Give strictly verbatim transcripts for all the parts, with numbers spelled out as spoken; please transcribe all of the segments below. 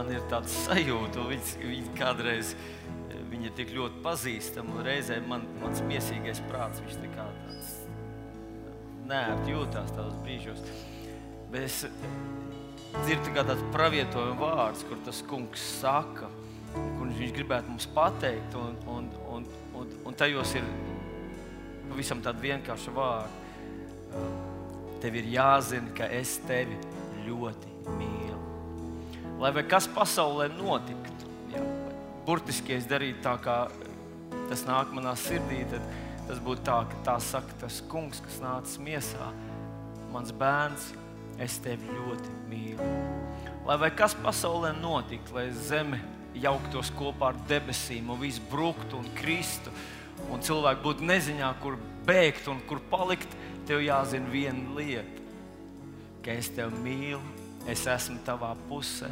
man ir tāds sajūta, viņa, viņa kādreiz viņa ir tik ļoti pazīstama, un reizē man, mans miesīgais prāts, viņš tā kā tāds neērti jūtās tādos brīžos. Bet es dzirdu kā tāds pravietojuma vārds, kur tas kungs saka, kur viņš gribētu mums pateikt, un, un, un, un, un tajos ir pavisam tāda vienkārša vārda. Tev ir jāzina, ka es tevi ļoti mīlu. Lai vai kas pasaulē notiktu, jā, burtiski es darītu tā, kā tas nāk manā sirdī, tad tas būtu tā, ka tā saka tas kungs, kas nācis miesā. Mans bērns, es tevi ļoti mīlu. Lai vai kas pasaulē notiktu, lai zeme jauktos kopā ar debesīm un viss bruktu un kristu, un cilvēki būtu neziņā, kur bēgt un kur palikt, tev jāzina viena lieta, ka es tevi mīlu, es esmu tavā pusē,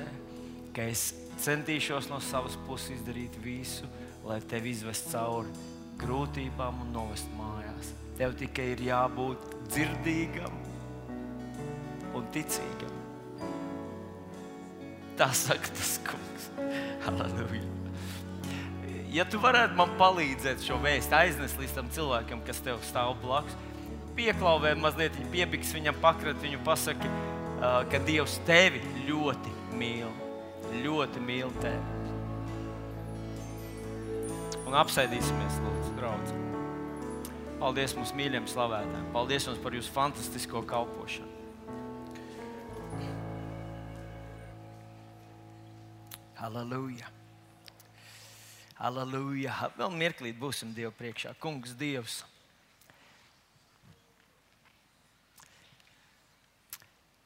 ka es centīšos no savas puses izdarīt visu, lai tevi izvest cauri grūtībām un novest mājās. Tev tikai ir jābūt dzirdīgam un ticīgam. Tā saka tas kungs. Halleluja. Ja tu varētu man palīdzēt šo vēstu aiznest līdz tam cilvēkam, kas tev stāv blakus, pieklauvē mazliet, piebiks viņam pakrat, viņu pasaki, ka Dievs tevi ļoti mīl. Ļoti mīl tevi. Un apsēdīsimies, lūdzu, draudz. Paldies mums mīļiem slavētājiem. Paldies mums par jūsu fantastisko kalpošanu. Halleluja. Halleluja. Vēl mirklīt būsim Dievu priekšā. Kungs Dievs.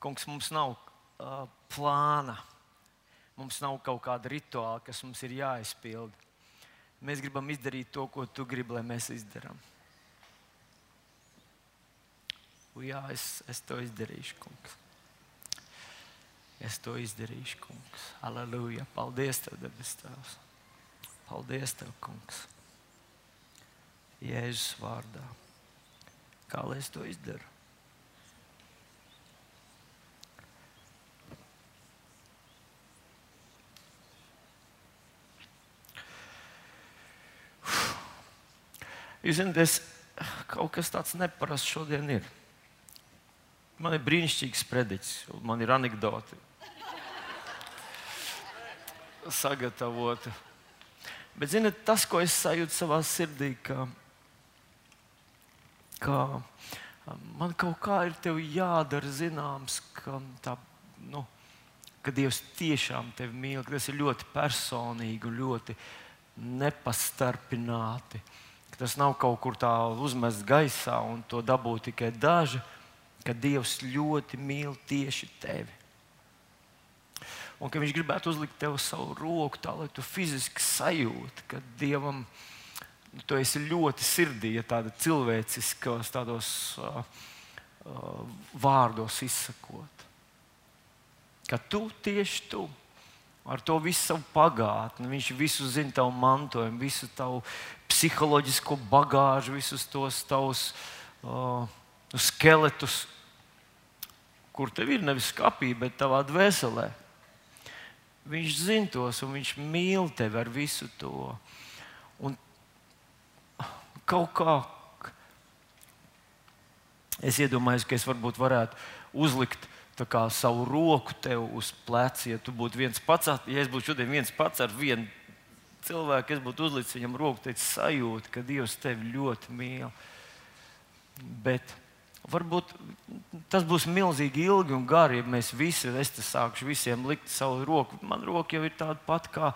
Kungs, mums nav uh, plāna. Mums nav kaut kāda rituāla, kas mums ir jāizpilda. Mēs gribam izdarīt to, ko tu gribi, lai mēs izdarām. Jā, es, es to izdarīšu, kungs. Es to izdarīšu, kungs. Halleluja. Paldies tev, debes Tēvs. Paldies tev, kungs. Jēzus vārdā. Kā lai es to izdaru? Jūs zināt, es, kaut kas tāds neparasts šodien ir. Man ir brīnišķīgs prediķis, man ir anekdoti sagatavota. Bet, zināt, tas, ko es sajūtu savā sirdī, ka, ka man kaut kā ir tev jādara zināms, ka, tā, nu, ka Dievs tiešām tevi mīl, ka tas ir ļoti personīgi un ļoti nepastarpināti. Tas nav kaut kur tā uzmests gaisā un to dabū tikai daži, ka Dievs ļoti mīl tieši tevi. Un ka viņš gribētu uzlikt tev savu roku tā, lai tu fiziski sajūti, ka Dievam tu esi ļoti sirdī, ja tāda cilvēciskos tādos uh, uh, vārdos izsakot. Ka tu tieši tu. Ar to visu savu pagātni, viņš visu zina tavu mantojumu, visu tavu psiholoģisko bagāžu, visus tos tavus uh, skeletus, kur tev ir nevis skapī, bet tavā dvēselē. Viņš zina tos un viņš mīl tevi ar visu to. Un kaut kā es iedomājos, ka es varbūt varētu uzlikt tā kā savu roku tev uz pleci, ja tu būtu viens pats, ja es būtu šodien viens pats ar vienu cilvēku, es būtu uzlicis viņam roku, teicis sajūta, ka Dievs tevi ļoti mīl. Bet varbūt tas būs milzīgi ilgi un gari, ja mēs visi, es te sākšu visiem likt savu roku. Man roka jau ir tāda pat kā,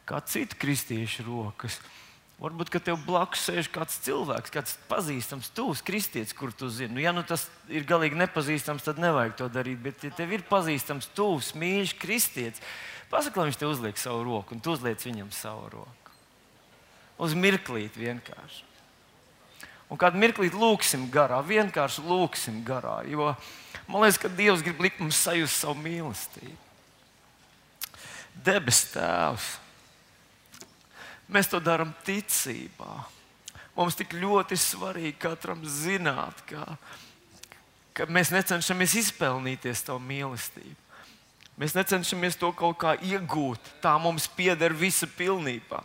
kā cita kristiešu rokas. Varbūt, ka tev blakus sēž kāds cilvēks, kāds pazīstams, tuvs kristietis, kur tu zini. Nu, ja nu tas ir galīgi nepazīstams, tad nevajag to darīt. Bet, ja tev ir pazīstams, tuvs, mīļš kristietis, pasaka, lai viņš tev uzliek savu roku, un tu uzliec viņam savu roku. Uz mirklīt vienkārši. Un kādu mirklīt lūksim garā, vienkārši lūksim garā. Jo man liekas, ka Dievs grib likt mums sajust savu mīlestību. Debes Tēvs. Mēs to darām ticībā. Mums tik ļoti svarīgi katram zināt, ka, ka mēs necenšamies izpelnīties tavu mīlestību. Mēs necenšamies to kaut kā iegūt. Tā mums pieder visa pilnībā.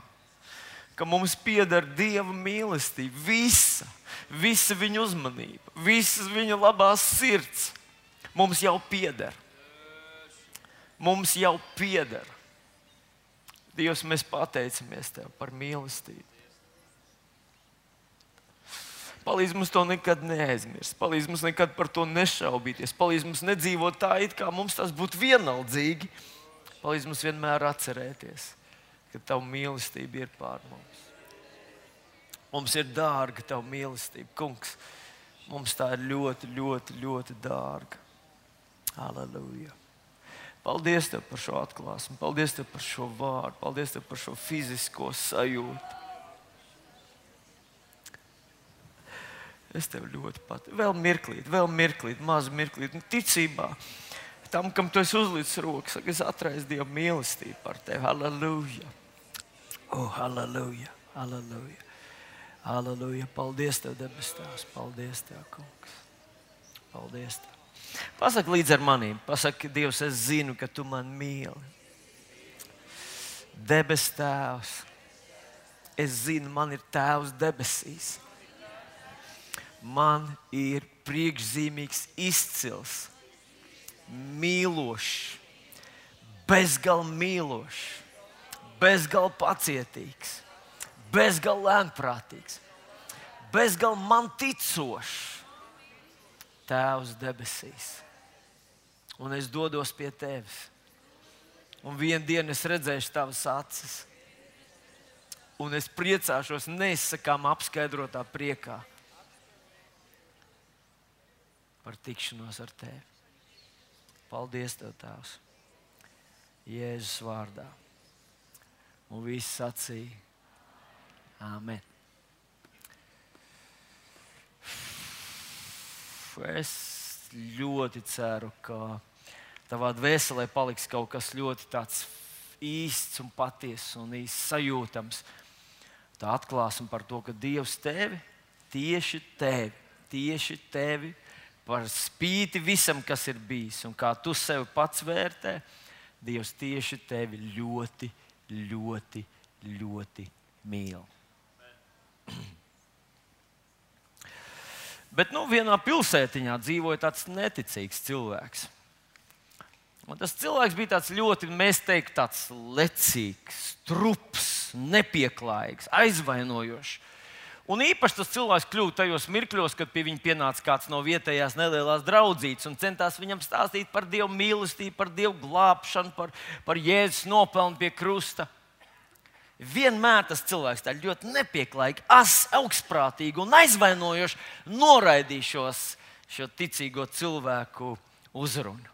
Ka mums pieder Dieva mīlestība, visa, visa viņa uzmanība, visas viņa labās sirds. Mums jau pieder. Mums jau pieder. Dievs, mēs pateicamies Tev par mīlestību. Palīdz mums to nekad neaizmirst. Palīdz mums nekad par to nešaubīties. Palīdz mums nedzīvot tā, it kā mums tas būtu vienaldzīgi. Palīdz mums vienmēr atcerēties, ka Tava mīlestība ir pār mums. Mums ir dārga Tava mīlestība, Kungs. Mums tā ir ļoti, ļoti, ļoti dārga. Halleluja. Paldies Tev par šo atklāsmi. Paldies Tev par šo vārdu. Paldies Tev par šo fizisko sajūtu. Es Tev ļoti patīcu. Vēl mirklīt, vēl mirklīt, mazu mirklīt. Ticībā tam, kam Tu esi uzlicis roku, saka, es atraisu Dieva mīlestību par Tevi. Halleluja. Oh, halleluja, halleluja. Halleluja. Paldies Tev, debes Tēvs. Paldies Tev, Kungs. Paldies Tev. Pasaki līdz ar manīm. Pasaki, Dievs, es zinu, ka Tu mani mīli. Debes Tēvs. Es zinu, man ir Tēvs debesīs. Man ir priekšzīmīgs, izcils, mīlošs, bezgal mīlošs, bezgal pacietīgs, bezgal lēnprātīgs, bezgal man ticošs Tēvs debesīs. Un es dodos pie Tevis. Un vienu dienu es redzēšu Tavas acis. Un es priecāšos neizsakām apskaidrotā priekā par tikšanos ar Tevi. Paldies Tev, Tēvs. Jēzus vārdā. Un visi sacīja Āmen. Es ļoti ceru, ka tavā dvēselē paliks kaut kas ļoti tāds īsts un patiess un īsts sajūtams. Tā atklāsme par to, ka Dievs tevi, tieši tevi, tieši tevi, par spīti visam, kas ir bijis, un kā tu sevi pats vērtē, Dievs tieši tevi ļoti, ļoti, ļoti mīl. Bet nu, vienā pilsētiņā dzīvoja tāds neticīgs cilvēks. Un tas cilvēks bija tāds ļoti, mēs teiktu, tāds lecīgs, trups, nepieklājīgs, aizvainojošs. Un īpaši tas cilvēks kļuva tajos mirkļos, kad pie viņa pienāca kāds no vietējās nelielās draudzītes un centās viņam stāstīt par Dievu mīlestību, par Dievu glābšanu, par, par Jēzus nopelnu pie krusta. Vienmēr tas cilvēks tā ļoti nepieklājīgi, as, augstprātīgi un aizvainojoši noraidīja šo ticīgo cilvēku uzrunu.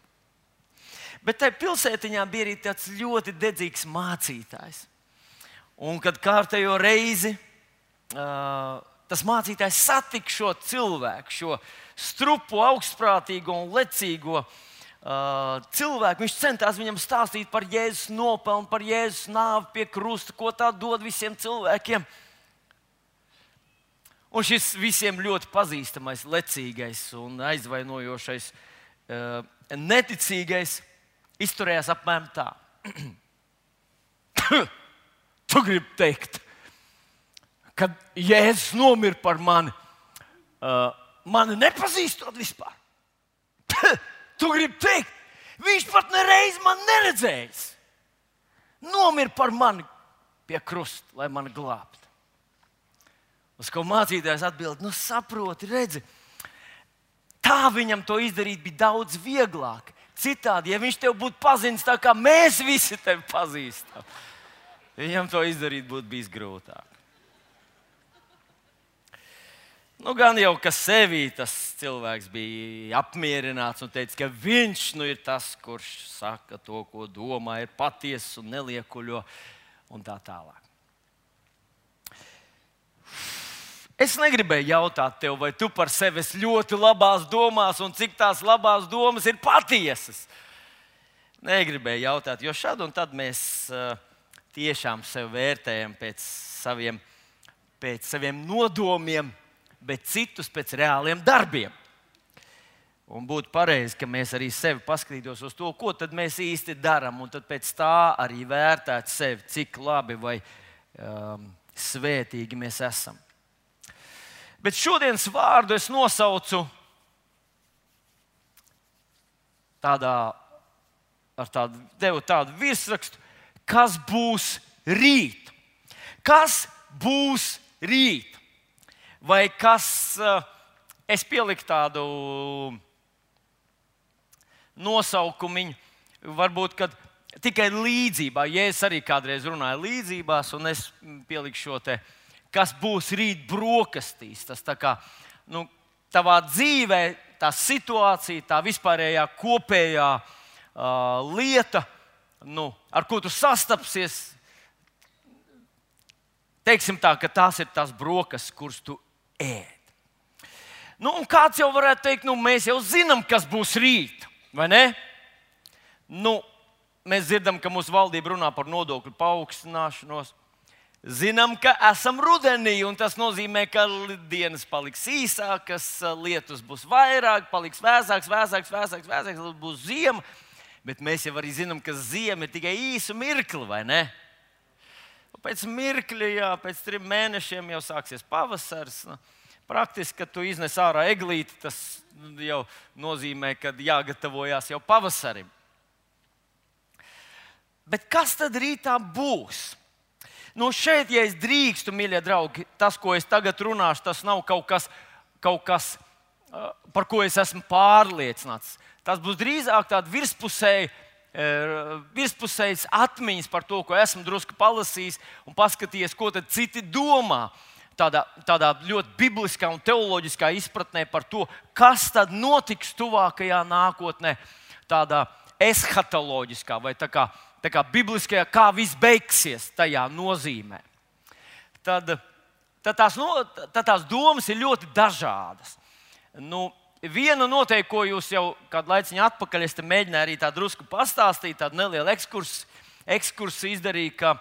Bet tajā pilsētiņā bija arī tāds ļoti dedzīgs mācītājs. Un kad kārtējo reizi uh, tas mācītājs satika šo cilvēku, šo strupu, augstprātīgo un lecīgo uh, cilvēku, viņš centās viņam stāstīt par Jēzus nopelnu, par Jēzus nāvi pie krusta, ko tā dod visiem cilvēkiem. Un šis visiem ļoti pazīstamais, lecīgais un aizvainojošais, uh, neticīgais izturējās apmēram tā. Tu gribi teikt, kad Jēzus nomira par mani, uh, mani nepazīstot vispār. Tu gribi teikt, viņš pat nereiz man neredzējis. Nomira par mani pie krusta, lai mani glābtu. Uz ko mācītājs atbild, nu saproti, redzi, tā viņam to izdarīt bija daudz vieglāk. Citādi, ja viņš tev būtu pazīstams tā, kā mēs visi tevi pazīstam, viņam to izdarīt būtu bijis grūtāk. Nu, gan jau, ka sevī tas cilvēks bija apmierināts un teica, ka viņš nu ir tas, kurš saka to, ko domā, ir patiess un neliekuļo un tā tālāk. Es negribēju jautāt tev, vai tu par sevi esi ļoti labās domās un cik tās labās domas ir patiesas. Negribēju jautāt, jo šad un tad mēs uh, tiešām sevi vērtējam pēc saviem, pēc saviem nodomiem, bet citus pēc reāliem darbiem. Un būtu pareizi, ka mēs arī sevi paskatītos uz to, ko tad mēs īsti darām, un tad pēc tā arī vērtētu sevi, cik labi vai um, svētīgi mēs esam. Bet šodienas vārdu es nosaucu tādā, ar tādu, devu tādu virsrakstu, kas būs rīt. Kas būs rīt? Vai kas, uh, es pieliku tādu nosaukumiņu, varbūt, kad tikai līdzībā, ja es arī kādreiz runāju līdzībās, un es pieliku šo te, kas būs rīt brokastīs. Tas tā kā, nu, tavā dzīvē, tā situācija, tā vispārējā kopējā uh, lieta, nu, ar ko tu sastapsies, teiksim tā, ka tās ir tās brokastis, kuras tu ēd. Nu, un kāds jau varētu teikt, nu, mēs jau zinām, kas būs rīt. Vai ne? Nu, mēs dzirdam, ka mūsu valdība runā par nodokļu paaugstināšanos. Zinām, ka esam rudenī, un tas nozīmē, ka dienas paliks īsākas, lietus būs vairāk, paliks vēsāks, vēsāks, vēsāks, vēsāks, būs ziema. Bet mēs jau arī zinām, ka ziema ir tikai īsu mirkli, vai ne? Pēc mirkļa, jā, pēc trim mēnešiem jau sāksies pavasaris. Nu, praktiski, kad tu iznes ārā eglīti, tas jau nozīmē, ka jāgatavojās jau pavasarim. Bet kas tad rītā būs? Nu šeit, ja es drīkstu, mīļie draugi, tas, ko es tagad runāšu, tas nav kaut kas, kaut kas par ko es esmu pārliecināts. Tas būs drīzāk tāds virspusēji, virspusējas atmiņas par to, ko esmu drusku palasījis un paskatījies, ko tad citi domā. Tādā, tādā ļoti bibliskā un teoloģiskā izpratnē par to, kas tad notiks tuvākajā nākotnē, tādā eshatoloģiskā vai tā kā, tā kā bibliskajā, kā viss beigsies tajā nozīmē. Tad, tad, tās, no, tad tās domas ir ļoti dažādas. Nu, viena noteikti, ko jūs jau kādu laiciņu atpakaļ es te mēģināju arī tā drusku pastāstīt, tādu nelielu ekskursu, ekskursu izdarīju, ka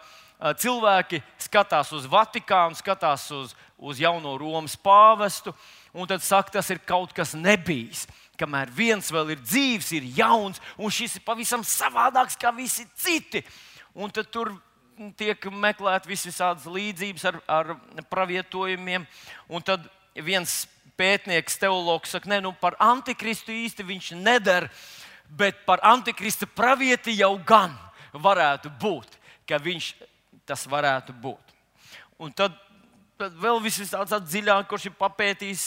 cilvēki skatās uz Vatikānu, skatās uz, uz jauno Romas pāvestu, un tad saka, tas ir kaut kas nebijis. Kamēr viens vēl ir dzīvs, ir jauns, un šis ir pavisam savādāks kā visi citi. Un tad tur tiek meklēt visādas līdzības ar, ar pravietojumiem. Un tad viens pētnieks, teologs saka, ne, nu par antikristu īsti viņš nedara, bet par antikrista pravieti jau gan varētu būt, ka viņš tas varētu būt. Un tad, tad vēl viss tāds dziļāk, kurš ir papētījis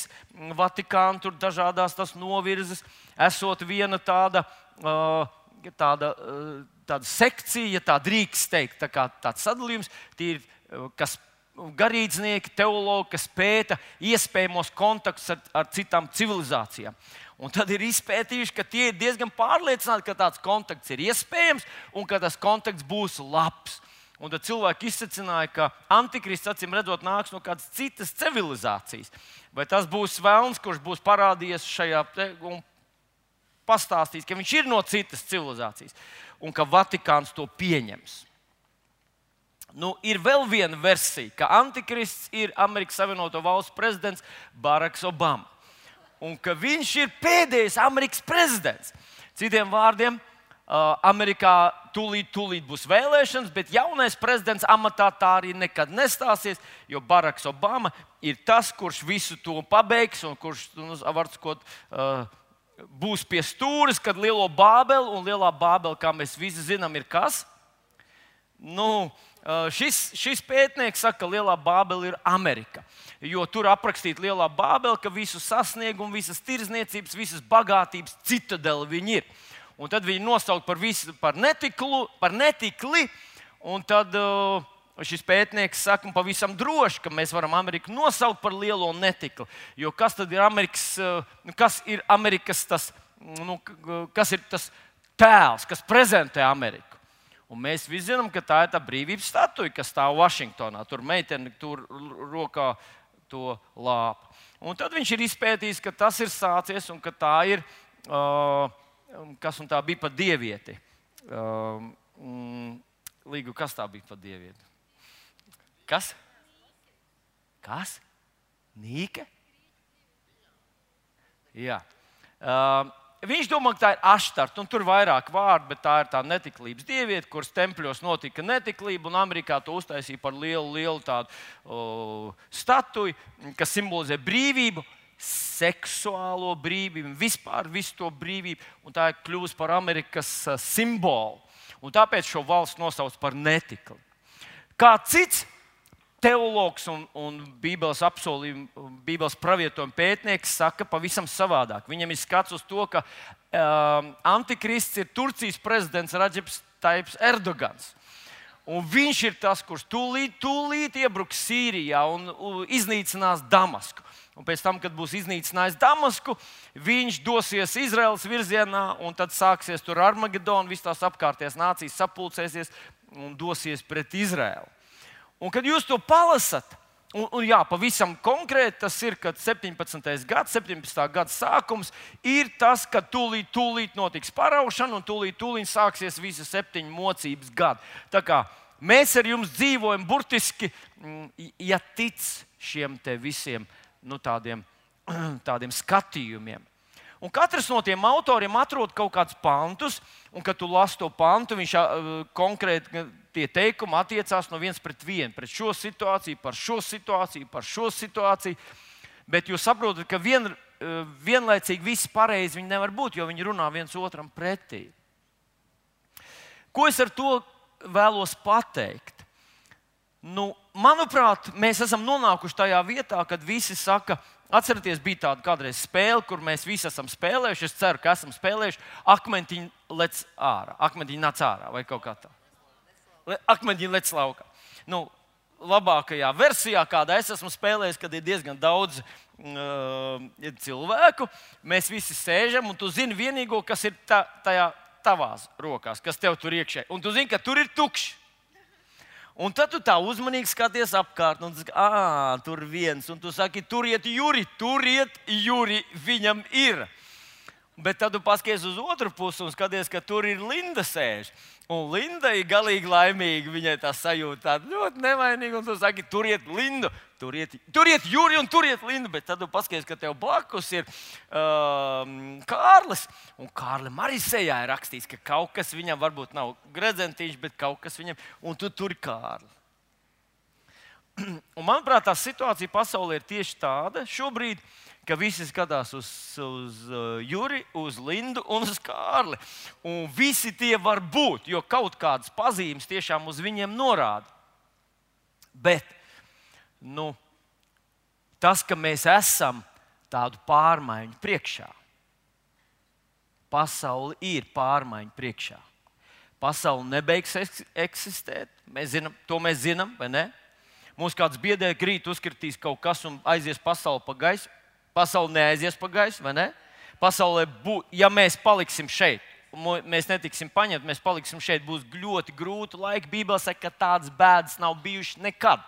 Vatikānu, tur dažādās tas novirzes, esot viena tāda, tāda, tāda sekcija, ja tā drīkst teikt, tā kā tāds sadalījums, tie ir, kas garīdznieki, teologi, kas pēta iespējamos kontaktus ar, ar citām civilizācijām. Un tad ir izpētījuši, ka tie ir diezgan pārliecināti, ka tāds kontakts ir iespējams un ka tas kontakts būs labs. Un tad cilvēki izsacināja, ka antikrists, acīm redzot, nāks no kādas citas civilizācijas. Vai tas būs velns, kurš būs parādījies šajā te un pastāstīs, ka viņš ir no citas civilizācijas un ka Vatikāns to pieņems. Nu, ir vēl viena versija, ka antikrists ir Amerikas Savienoto Valstu prezidents Baraks Obama. Un ka viņš ir pēdējais Amerikas prezidents. Citiem vārdiem, Amerikā tūlīt, tūlīt būs vēlēšanas, bet jaunais prezidents amatā tā arī nekad nestāsies, jo Baraks Obama ir tas, kurš visu to pabeigs un kurš, nu, var sakot, būs pie stūres, kad lielo Bābeli, un lielā Bābeli, kā mēs visi zinām, ir kas? Nu, šis, šis pētnieks saka, ka lielā Bābele ir Amerika. Jo tur aprakstīta lielā Bābele, ka visu sasniegumu, visas tirdzniecības, visas bagātības citadeli viņi ir. Un tad viņi nosauc par, visu, par, netiklu, par netikli. Un tad uh, šis pētnieks saka, pavisam droši, ka mēs varam Ameriku nosaukt par lielo netikli. Jo kas tad ir Amerikas, uh, kas ir Amerikas tas, nu, kas ir tas tēls, kas prezentē Ameriku? Un mēs visi zinām, ka tā ir tā brīvības statuja, kas stāv Vašingtonā. Tur meitene tur rokā to lāpa. Un tad viņš ir izpētījis, ka tas ir sācies un ka tā ir, uh, kas un tā bija pa dievieti. Uh, mm, Līgu, kas tā bija pa dievieti? Kas? Kas? Nīke? Jā. Uh, viņš domā, ka tā ir Aštarta, un tur ir vairāk vārdu, bet tā ir tā netiklības dieviete, kuras tempļos notika netiklība, un Amerikā to uztaisīja par lielu, lielu tādu uh, statuju, kas simbolizē brīvību, seksuālo brīvību, vispār visu to brīvību, un tā ir kļuvusi par Amerikas uh, simbolu. Un tāpēc šo valsts nosauc par netikli. Kā cits teologs un, un Bībeles apsolījumu, Bībeles pravietojuma pētnieks saka pavisam savādāk. Viņam ir skats uz to, ka um, antikrists ir Turcijas prezidents Radžeps Taips Erdogans. Un viņš ir tas, kurš tūlīt, tūlīt iebruks Sīrijā un uh, iznīcinās Damasku. Un pēc tam, kad būs iznīcinājis Damasku, viņš dosies Izraēlas virzienā, un tad sāksies tur Armagedona, visas tās apkārtējās nācijas sapulcēsies un dosies pret Izraēlu. Un, kad jūs to palasat, un, un jā, pavisam konkrēti tas ir, kad septiņpadsmitais gads, septiņpadsmitā gada sākums ir tas, kad tūlīt, tūlīt notiks paraušana un tūlīt, tūlīt sāksies visi septiņu mocības gadi. Tā kā mēs ar jums dzīvojam burtiski, ja tic šiem te visiem nu, tādiem, tādiem skatījumiem. Un katrs no tiem autoriem atrod kaut kādus pantus, un, kad tu lasi to pantu, viņš uh, konkrēti tie teikumi attiecās no viens pret vienu, pret šo situāciju, par šo situāciju, par šo situāciju. Bet jūs saprotat, ka vien, uh, vienlaicīgi viss pareizi viņi nevar būt, jo viņi runā viens otram pretī. Ko es ar to vēlos pateikt? Nu, manuprāt, mēs esam nonākuši tajā vietā, kad visi saka, atcerieties, bija tāda kādreiz spēle, kur mēs visi esam spēlējuši. Es ceru, ka esam spēlējuši. Akmentiņi lec ārā, akmentiņi nāc ārā vai kaut kā tā. Akmentiņi lec laukā. Nu, labākajā versijā, kādā es esmu spēlējis, kad ir diezgan daudz uh, cilvēku, mēs visi sēžam, un tu zini vienīgo, kas ir tā, tajā tavās rokās, kas tev tur iekšē. Un tu zini, ka tur ir tukšs. Un tad tu tā uzmanīgi skaties apkārt, un tu saki, ah, tur viens, un tu saki, turiet Juri, turiet Juri, viņam ir. Bet tad tu paskaties uz otru pusi un skaties, ka tur ir Linda sēž. Un Linda ir galīgi laimīga, viņai tā sajūta tāda ļoti nevainīga, un tu saki, turiet Lindu, turiet, turiet Juri un turiet Lindu. Bet tad tu paskaties, ka tev blakus ir um, Kārlis, un Kārlim arī sejā ir rakstīts, ka kaut kas viņam varbūt nav gredzentīšs, bet kaut kas viņam, un tu tur Kārli. Un manuprāt, tā situācija pasaulē ir tieši tāda šobrīd, ka visi skatās uz, uz uh, Juri, uz Lindu un uz Kārli. Un visi tie var būt, jo kaut kādas pazīmes tiešām uz viņiem norāda. Bet nu, tas, ka mēs esam tādu pārmaiņu priekšā, pasaule ir pārmaiņu priekšā. Pasaule nebeigs eksistēt, mēs zinām, to mēs zinām, vai ne? Mums kāds biedē, ka rīt uzkritīs kaut kas un aizies pasaule pa gaisu. Pasaule neaizies pa gaisu, vai ne? Pasaulē, bū, ja mēs paliksim šeit, mēs netiksim paņemti, mēs paliksim šeit, būs ļoti grūti laiki. Bībele saka, ka tādas bēdas nav bijušas nekad.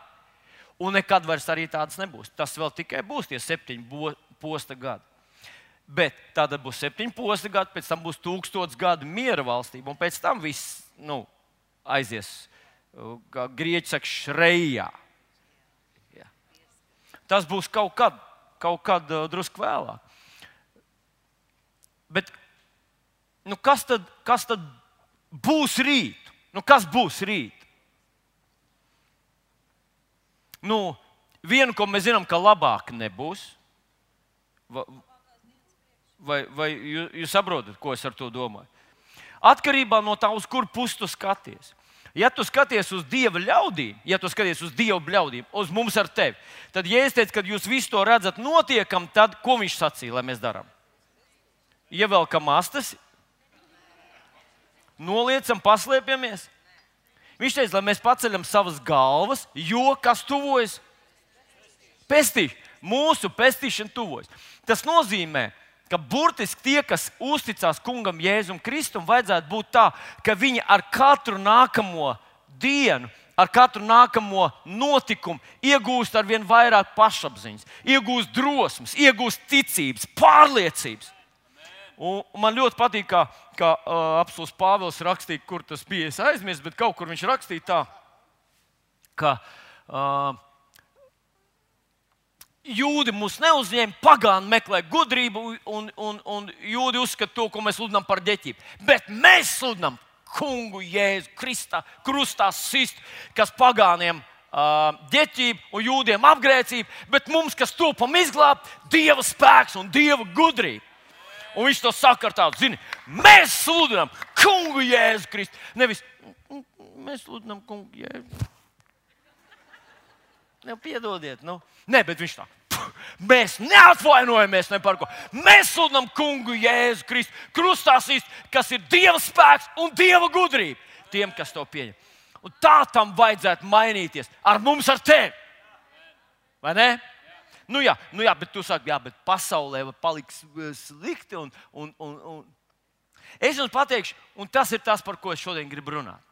Un nekad vairs arī tādas nebūs. Tas vēl tikai būs tie septiņi posta gadi. Bet tad būs septiņi posta gadi, pēc tam būs tūkstots gadu miera valstība, un pēc tam viss nu, aizies, kā grieķi saka, šrejā. Ja. Tas būs kaut kad. Kaut kad uh, drusku vēlāk. Bet nu kas, tad, kas tad būs rīt? Nu, kas būs rīt? Nu, vienu, ko mēs zinām, ka labāk nebūs. Vai, vai, vai jūs, jūs saprotat, ko es ar to domāju? Atkarībā no tā, uz kur pusi tu skaties. Ja tu skaties uz Dieva ļaudīm, ja tu skaties uz Dieva ļaudīm, uz mums ar tevi, tad, ja es teicu, ka jūs visu to redzat notiekam, tad ko viņš sacīja, lai mēs darām? Ievelkam astes, noliecam, paslēpjamies. Viņš teica, lai mēs paceļam savas galvas, jo kas tuvojas? Pestīšana. Mūsu pestīšana tuvojas. Tas nozīmē, ka burtiski tie, kas uzticās kungam Jēzum Kristum, vajadzētu būt tā, ka viņi ar katru nākamo dienu, ar katru nākamo notikumu iegūst ar vien vairāk pašapziņas, iegūst drosmes, iegūst ticības, pārliecības. Un man ļoti patīk, kā, kā uh, apostils Pāvils rakstīja, kur tas bija, es aizmirsu, bet kaut kur viņš rakstīja tā, ka uh, jūdi mūs neuzņēma, pagāni meklē gudrību, un, un, un jūdi uzskata to, ko mēs sludinām par ģeķību. Bet mēs sludinām kungu Jēzu Kristā, krustā sist, kas pagāniem uh, ģeķību un jūdiem apgrēcību, bet mums, kas topam izglābt, Dieva spēks un Dieva gudrība. Un viņš to saka ar tādu, zini, mēs sludinām kungu Jēzu Kristu. Nevis, mēs sludinām kungu Jēzu. Ne, piedodiet, nu. Nē, bet viņš tā. Mēs neatvainojamies ne par ko. Mēs sludinām kungu Jēzu Kristu, krustā sist, kas ir Dieva spēks un Dieva gudrība tiem, kas to pieņem. Un tā tam vajadzētu mainīties ar mums, ar tevi. Vai ne? Nu jā, nu jā, bet tu saki, jā, bet pasaulē paliks slikti. Un, un, un, un. Es jums pateikšu, un tas ir tas, par ko es šodien gribu runāt.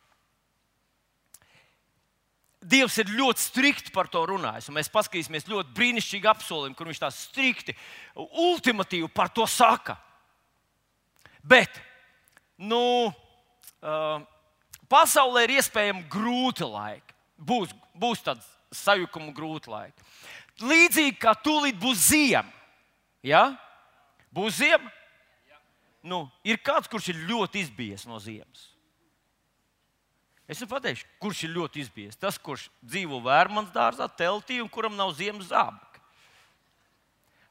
Dievs ir ļoti strikti par to runājis. Mēs paskatīsimies ļoti brīnišķīgi apsolījumi, kur viņš tā strikti, ultimatīvi par to saka. Bet, nu, uh, pasaulē ir iespējami grūti laiki. Būs, būs tāds sajukuma grūti laiki. Līdzīgi kā tūlīt būs ziema. Ja? Būs ziema? Nu, ir kāds, kurš ir ļoti izbijies no ziemas. Es jums pateikšu, kurš ir ļoti izbijies. Tas, kurš dzīvo Vērmanas dārzā, teltī un kuram nav ziemas zābaki.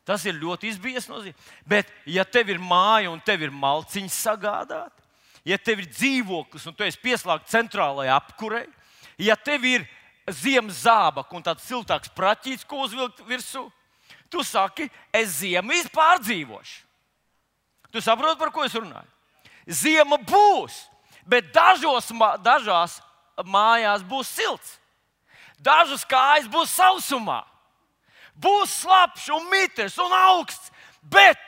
Tas ir ļoti izbijies no ziemas. Bet, ja tev ir māja un tev ir malciņas sagādāt, ja tev ir dzīvoklis un tu esi pieslēgts centrālajai apkurei, ja tev ir ziemas zābaki un tāds siltāks praķīts, ko uzvilkt virsū, tu saki, es ziemu pārdzīvošu. Tu saproti, par ko es runāju? Ziema būs. Bet dažos, dažās mājās būs silts. Dažas kājas būs sausumā. Būs slapjš un mitrs un augsts. Bet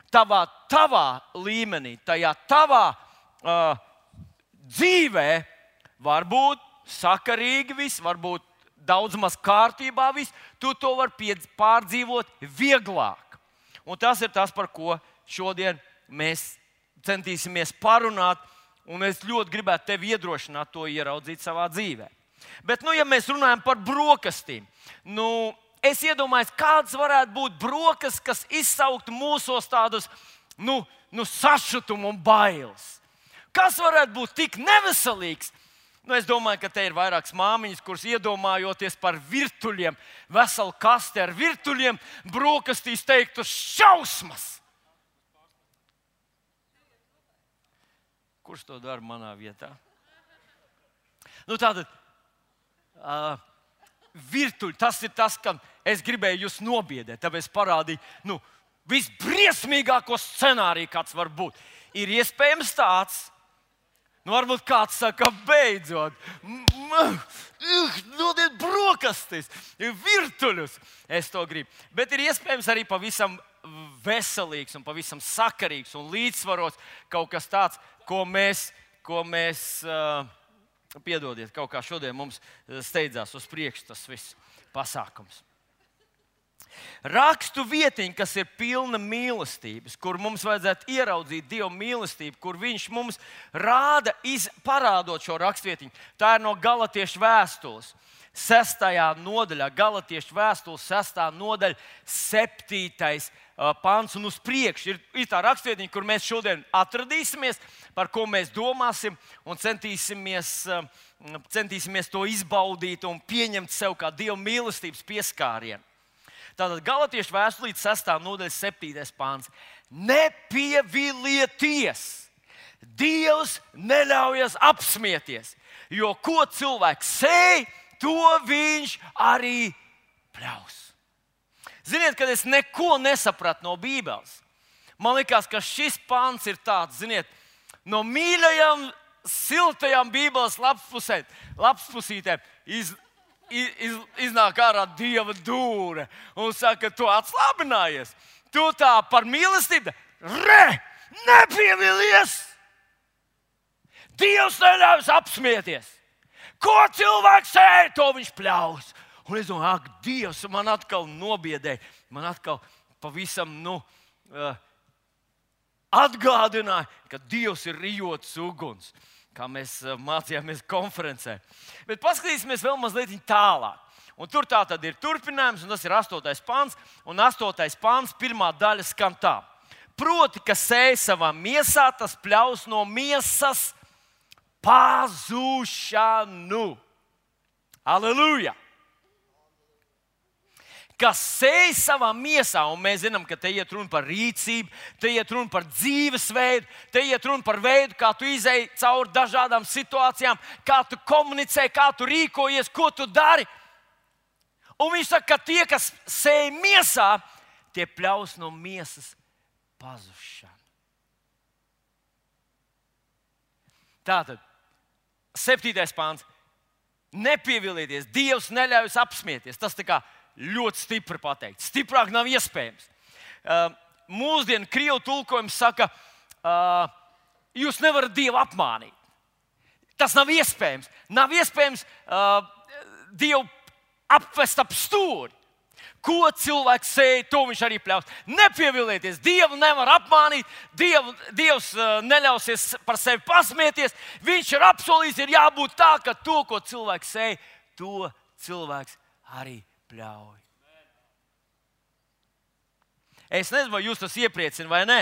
tavā, tavā līmenī, tajā tavā uh, dzīvē var būt sakarīgi viss, var būt daudz maz kārtībā viss. Tu to vari pārdzīvot vieglāk. Un tas ir tas, par ko šodien mēs centīsimies parunāt. Un es ļoti gribētu tevi iedrošināt to ieraudzīt savā dzīvē. Bet, nu, ja mēs runājam par brokastīm, nu, es iedomājos, kādas varētu būt brokastis, kas izsauktu mūsos tādus nu, nu, sašutumu un bailes. Kas varētu būt tik neveselīgs? Nu, es domāju, ka te ir vairākas māmiņas, kuras iedomājoties par virtuļiem, veselu kasti ar virtuļiem, brokastīs teiktu šausmas. Kurš to dara manā vietā? Nu, tātad, uh, virtuļi, tas ir tas, kam es gribēju jūs nobiedēt. Tāpēc parādīju, nu, visbriesmīgāko scenāriju, kāds var būt. Ir iespējams tāds, nu, varbūt kāds saka, beidzot, dodiet brokastis, virtuļus. Es to gribu. Bet ir iespējams arī pavisam veselīgs un pavisam sakarīgs un līdzsvarots kaut kas tāds, ko mēs, ko mēs uh, piedodiet, kaut kā šodien mums steidzās uz priekšu tas viss pasākums. Rakstu vietiņa, kas ir pilna mīlestības, kur mums vajadzētu ieraudzīt Dieva mīlestību, kur viņš mums rāda, iz, parādot šo rakstvietiņu. Tā ir no Galatiešu vēstules. Sestajā nodaļā, Galatiešu vēstules sestā nodaļa, septītais pants un uz priekšu. Ir, ir tā rakstvietiņa, kur mēs šodien atradīsimies, par ko mēs domāsim un centīsimies, centīsimies to izbaudīt un pieņemt sev kā Dieva mīlestības pieskārienu. Tātad Galatiešu vēstulīte sestā nodaļa, septītais pants. Nepievilieties! Dievs neļaujas apsmieties, jo ko cilvēks sēj, to viņš arī pļaus. Ziniet, kad es neko nesapratu no Bībeles, man liekas, ka šis pants ir tāds, ziniet, no mīļajām, siltajām Bībeles lapspusītēm iz, iz, iznāk ārā Dieva dūre un saka, tu atslābinājies, tu tā par mīlestību, re, nepievilies! Dievs neļaujas apsmieties! Ko cilvēks sēž, to viņš pļaus. Un es domāju, ak, Dievs man atkal nobiedēja, man atkal pavisam nu, uh, atgādināja, ka Dievs ir rijots uguns, kā mēs uh, mācījāmies konferencē. Bet paskatīsimies vēl mazliet tālāk. Un tur tā tad ir turpinājums, un tas ir astotais pants. Un astotais pants, pirmā daļa skan tā. Proti, ka sēj savā miesā, tas pļaus no miesas pazušanu. Aleluja! Kas sēž savā miesā, un mēs zinām, ka te iet runa par rīcību, te iet runa par dzīvesveidu, te iet runa par veidu, kā tu izēji cauri dažādām situācijām, kā tu komunicē, kā tu rīkojies, ko tu dari. Un viņš saka, ka tie, kas sēž miesā, tie pļaus no miesas pazušanu. Tātad, septītais pāns. Nepievilieties, Dievs neļauj apsmieties. Tas tā kā ļoti stipri pateikt. Stiprāk nav iespējams. Uh, mūsdienu krievu tulkojums saka, uh, jūs nevarat Dievu apmānīt. Tas nav iespējams. Nav iespējams uh, Dievu apvest ap stūri. Ko cilvēks sēž, to viņš arī pļaus. Nepievilieties, Dievu nevar apmānīt, Dievu, Dievs uh, neļausies par sevi pasmieties. Viņš ir apsolījis, ir jābūt tā, ka to, ko cilvēks sēž, to cilvēks arī pļauj. Es nezinu, vai jūs tas iepriecina vai nē.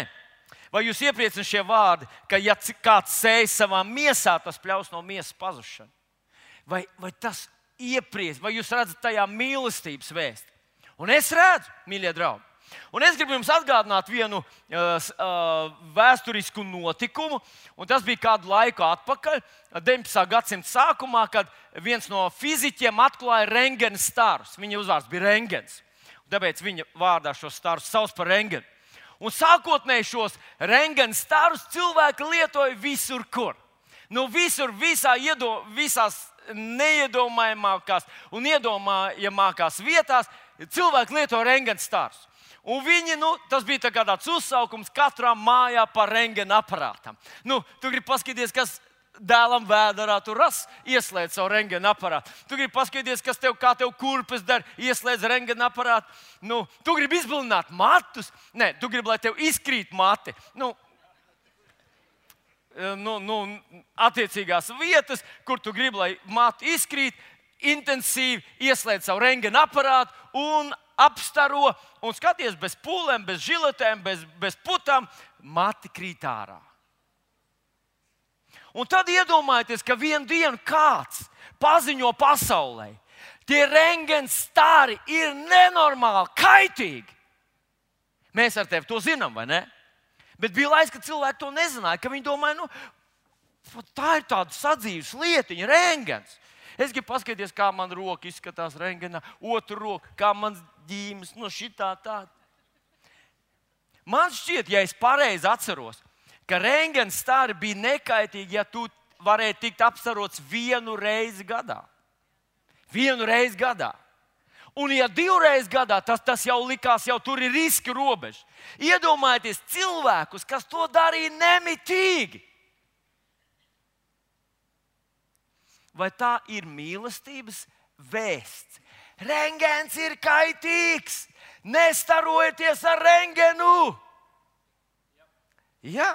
Vai jūs iepriecina šie vārdi, ka ja kāds sēž savā miesā, tas pļaus no miesas pazušanu? Vai, vai tas iepriecina, vai jūs redzat tajā mīlestības vēsti? Un es redzu, mīļie draugi, un es gribu jums atgādināt vienu uh, uh, vēsturisku notikumu, un tas bija kādu laiku atpakaļ, deviņpadsmitā gadsimta sākumā, kad viens no fiziķiem atklāja rentgena starus. Viņa uzvārds bija Rentgens, tāpēc viņa vārdā šos starus sauc par rentgenu. Un sākotnēji šos rentgena starus cilvēki lietoja visur, kur. Nu, visur, visā iedo, visās neiedomājamākās un iedomājamākās vietās cilvēki lieto rentgena starus. Un viņi, nu, tas bija tā kā tāds uzsaukums katrā mājā par rentgena aparātam. Nu, tu gribi paskatīties, kas dēlam vēderā tu ras, ieslēdz savu rentgena aparātu. Tu gribi paskatīties, kas tev, kā tev kurpes dara, ieslēdz rentgena aparātu. Nu, tu gribi izbilināt matus. Nē, tu gribi, lai tev izkrīt mati. Nu, nu, nu, attiecīgās vietas, kur tu gribi, lai mati izkrīt, intensīvi ieslēdz savu rentgena aparātu un apstaro un skaties bez pūlēm, bez žiletēm, bez, bez putām, mati krīt ārā. Un tad iedomājieties, ka vienu dienu kāds paziņo pasaulē, tie rentgena stari ir nenormāli kaitīgi. Mēs ar tevi to zinām, vai ne? Bet bija laiks, kad cilvēki to nezināja, ka viņi domāja, nu, tā ir tāda sadzīves lietiņa, rentgens. Es gribu paskatīties, kā man roka izskatās rentgenā, otru roku, kā mans ģīmes, no šitā tā. Man šķiet, ja es pareizi atceros, ka rentgena stari bija nekaitīgi, ja tu varēji tikt apstarots vienu reizi gadā. Vienu reizi gadā. Un ja divreiz gadā, tas, tas jau likās, jau tur ir riska robeža. Iedomājieties cilvēkus, kas to darīja nemitīgi. Vai tā ir mīlestības vēsts? Rentgens ir kaitīgs. Nestarojieties ar rentgenu. Jā,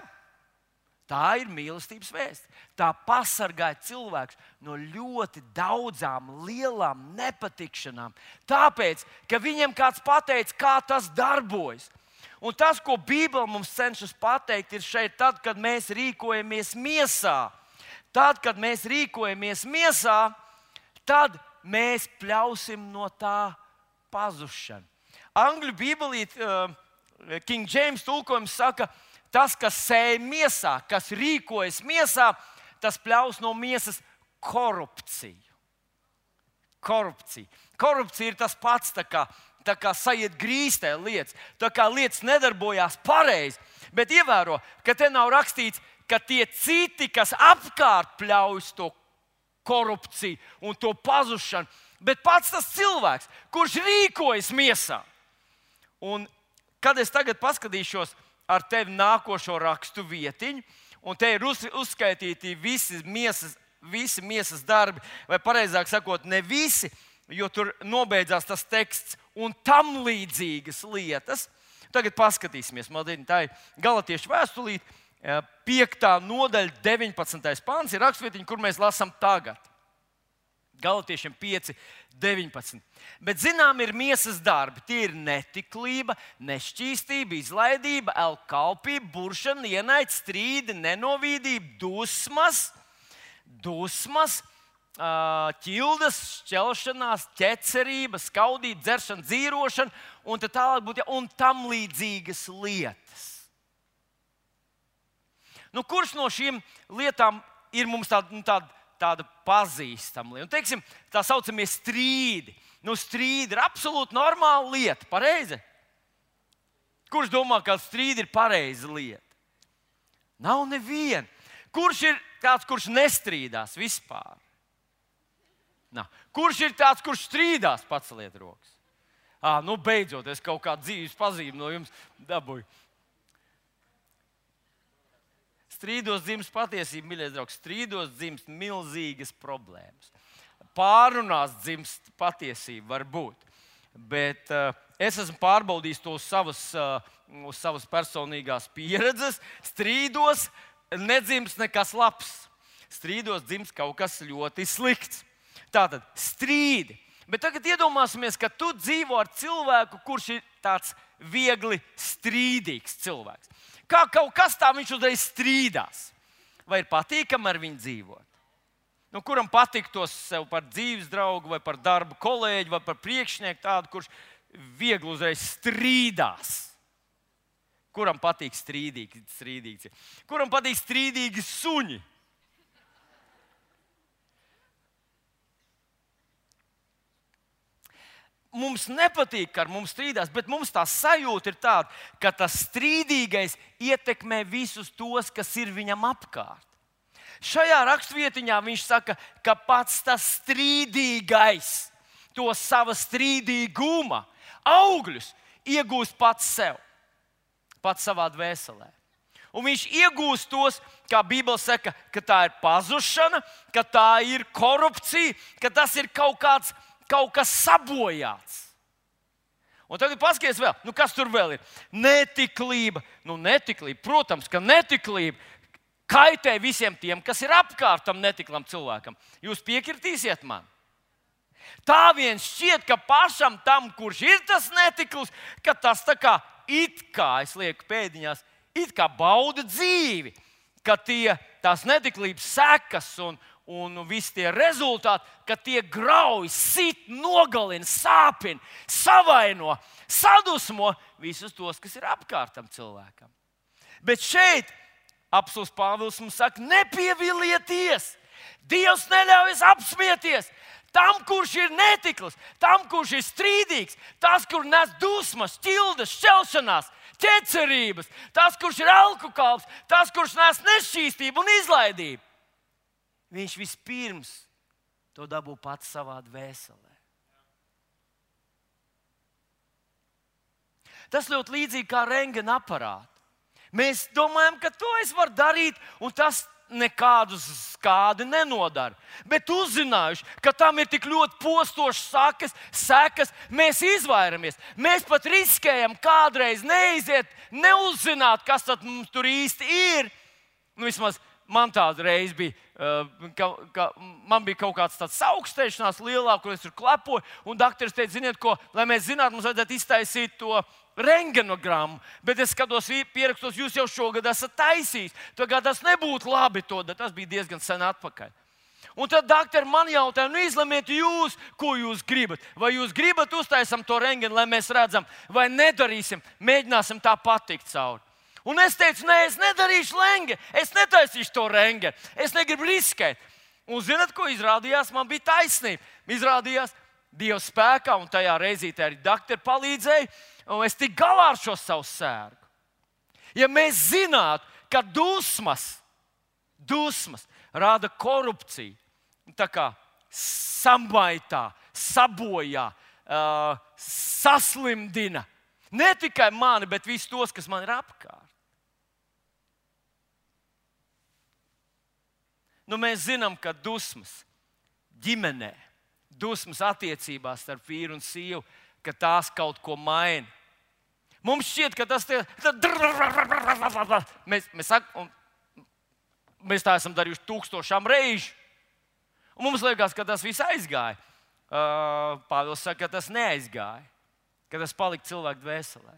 tā ir mīlestības vēsts. Tā pasargāja cilvēkus no ļoti daudzām lielām nepatikšanām. Tāpēc, ka viņiem kāds pateica, kā tas darbojas. Un tas, ko Bībele mums cenšas pateikt, ir šeit tad, kad mēs rīkojamies miesā. Tad, kad mēs rīkojamies miesā, tad mēs pļausim no tā pazušanu. Angļu bībelīte, uh, King James tulkojums saka, tas, kas sēj miesā, kas rīkojas miesā, tas pļaus no miesas korupciju. Korupcija. Korupcija ir tas pats, tā kā, tā kā sajiet grīstē lietas, tā kā lietas nedarbojās pareizi. Bet ievēro, ka te nav rakstīts, ka tie citi, kas apkārt pļaujas to korupciju un to pazušanu, bet pats tas cilvēks, kurš rīkojas miesā. Un kad es tagad paskatīšos ar tevi nākošo rakstu vietiņu, un te ir uz, uzskaitīti visi miesas, visi miesas darbi, vai pareizāk sakot, ne visi, jo tur nobeidzās tas teksts un tam līdzīgas lietas. Tagad paskatīsimies, maldien, tā ir Galatiešu vēstulīte, piektā nodaļa, deviņpadsmitais pants ir rakstvietiņa, kur mēs lasām tagad. Galatiešiem pieci, deviņpadsmit. Bet, zinām, ir miesas darbi. Tie ir netiklība, nešķīstība, izlaidība, elkalpība, buršana, ienaidnieks, strīdi, nenovīdība, dusmas, dusmas, ķildas, šķelšanās, ķecerība, skaudība, dzeršana, dzīrošana un tā tālāk būtu, un tam līdzīgas lietas. Nu, kurš no šīm lietām ir mums tāda, nu, tāda, tāda pazīstama lieta? Un, teiksim, tā saucamie strīdi. Nu, strīdi ir absolūti normāla lieta, pareizi? Kurš domā, ka strīdi ir pareiza lieta? Nav neviena. Kurš ir tāds, kurš nestrīdās vispār? Nav. Kurš ir tāds, kurš strīdās? Paceliet rokas. À, nu, beidzot, es kaut kādu dzīves pazīmi no jums dabūju. Strīdos dzimst patiesība, mīļais draugs. Strīdos dzimst milzīgas problēmas. Pārunās dzimst patiesība, varbūt. Bet uh, es esmu pārbaudījis to uz savas, uh, uz savas personīgās pieredzes. Strīdos nedzimst nekas labs. Strīdos dzimst kaut kas ļoti slikts. Tātad strīdi. Bet tagad iedomāsimies, ka tu dzīvo ar cilvēku, kurš ir tāds viegli strīdīgs cilvēks. Kā kaut kas tā viņš uzreiz strīdās. Vai ir patīkami ar viņu dzīvot? Nu, kuram patiktos sev par dzīves draugu, vai par darba kolēģi, vai par priekšnieku tādu, kurš viegli uzreiz strīdās? Kuram patīk strīdīgi, strīdīgi? Kuram patīk strīdīgi suņi? Mums nepatīk, ka ar mums strīdās, bet mums tā sajūta ir tāda, ka tas strīdīgais ietekmē visus tos, kas ir viņam apkārt. Šajā rakstvietiņā viņš saka, ka pats tas strīdīgais to sava strīdīguma augļus iegūst pats sev, pats savā dvēselē. Un viņš iegūst tos, kā Bībele saka, ka tā ir pazušana, ka tā ir korupcija, ka tas ir kaut kāds Kaut kas sabojāts. Un tagad paskaties vēl, nu kas tur vēl ir? Netiklība. Nu, netiklība, protams, ka netiklība kaitē visiem tiem, kas ir apkārt tam netiklam cilvēkam. Jūs piekritīsiet man? Tā vien šķiet, ka pašam tam, kurš ir tas netikls, ka tas tā kā it kā, es lieku pēdiņās, it kā bauda dzīvi, ka tie tās netiklības sekas un Un visi tie rezultāti, ka tie grauj, sit, nogalina, sāpina, savaino, sadusmo visus tos, kas ir apkārt tam cilvēkam. Bet šeit apostuls Pāvils mums saka, nepievilieties! Dievs neļauj apsmieties! Tam, kurš ir netikls, tam, kurš ir strīdīgs, tas, kurš nes dusmas, ķildas, šķelšanās, ķecerības, tas, kurš ir alkohols, tas, kurš nes nešķīstību un izlaidību. Viņš vispirms to dabū pats savā dvēselē. Tas ļoti līdzīgi kā rentgena aparāts. Mēs domājam, ka to es varu darīt, un tas nekādu skādi nenodara. Bet uzzinājuši, ka tam ir tik ļoti postošas sakas, sekas, mēs izvairamies. Mēs pat riskējam kādreiz neiziet, neuzzināt, kas tad mums tur īsti ir. Nu, vismaz man tāda reize bija, ka, ka man bija kaut kāds tāds augstēšanās lielāk, kur es tur klepoju, un dakteris teica, ziniet ko, lai mēs zinātu, mums vajadzētu iztaisīt to rentgenogrammu, bet es skatos, pierakstos, jūs jau šogad esat taisījis, tagad tas nebūtu labi to, tas bija diezgan sen atpakaļ. Un tad daktari man jautāja, nu izlemiet jūs, ko jūs gribat. Vai jūs gribat uztaisam to rentgenu, lai mēs redzam, vai nedarīsim, mēģināsim tā patikt cauri. Un es teicu, nē, es nedarīšu rentgenu, es netaisīšu to rentgenu, es negribu riskēt. Un zināt, ko izrādījās? Man bija taisnība. Izrādījās Dieva spēkā, un tajā reizītē arī daktori palīdzēja, un es tiku galā ar šo savu sērgu. Ja mēs zinātu, ka dusmas, dusmas rada korupciju, tā kā samaitā, sabojā, uh, saslimdina ne tikai mani, bet visus tos, kas man ir apkārt. Nu, mēs zinām, ka dusmas ģimenē, dusmas attiecībās starp vīru un sievu, ka tās kaut ko maina. Mums šķiet, ka tas ir. Mēs, mēs, sak, mēs tā esam darījuši tūkstošām reižu. Un mums liekas, ka tas viss aizgāja. Uh, Pāvils saka, ka tas neaizgāja, ka tas palika cilvēku dvēselē.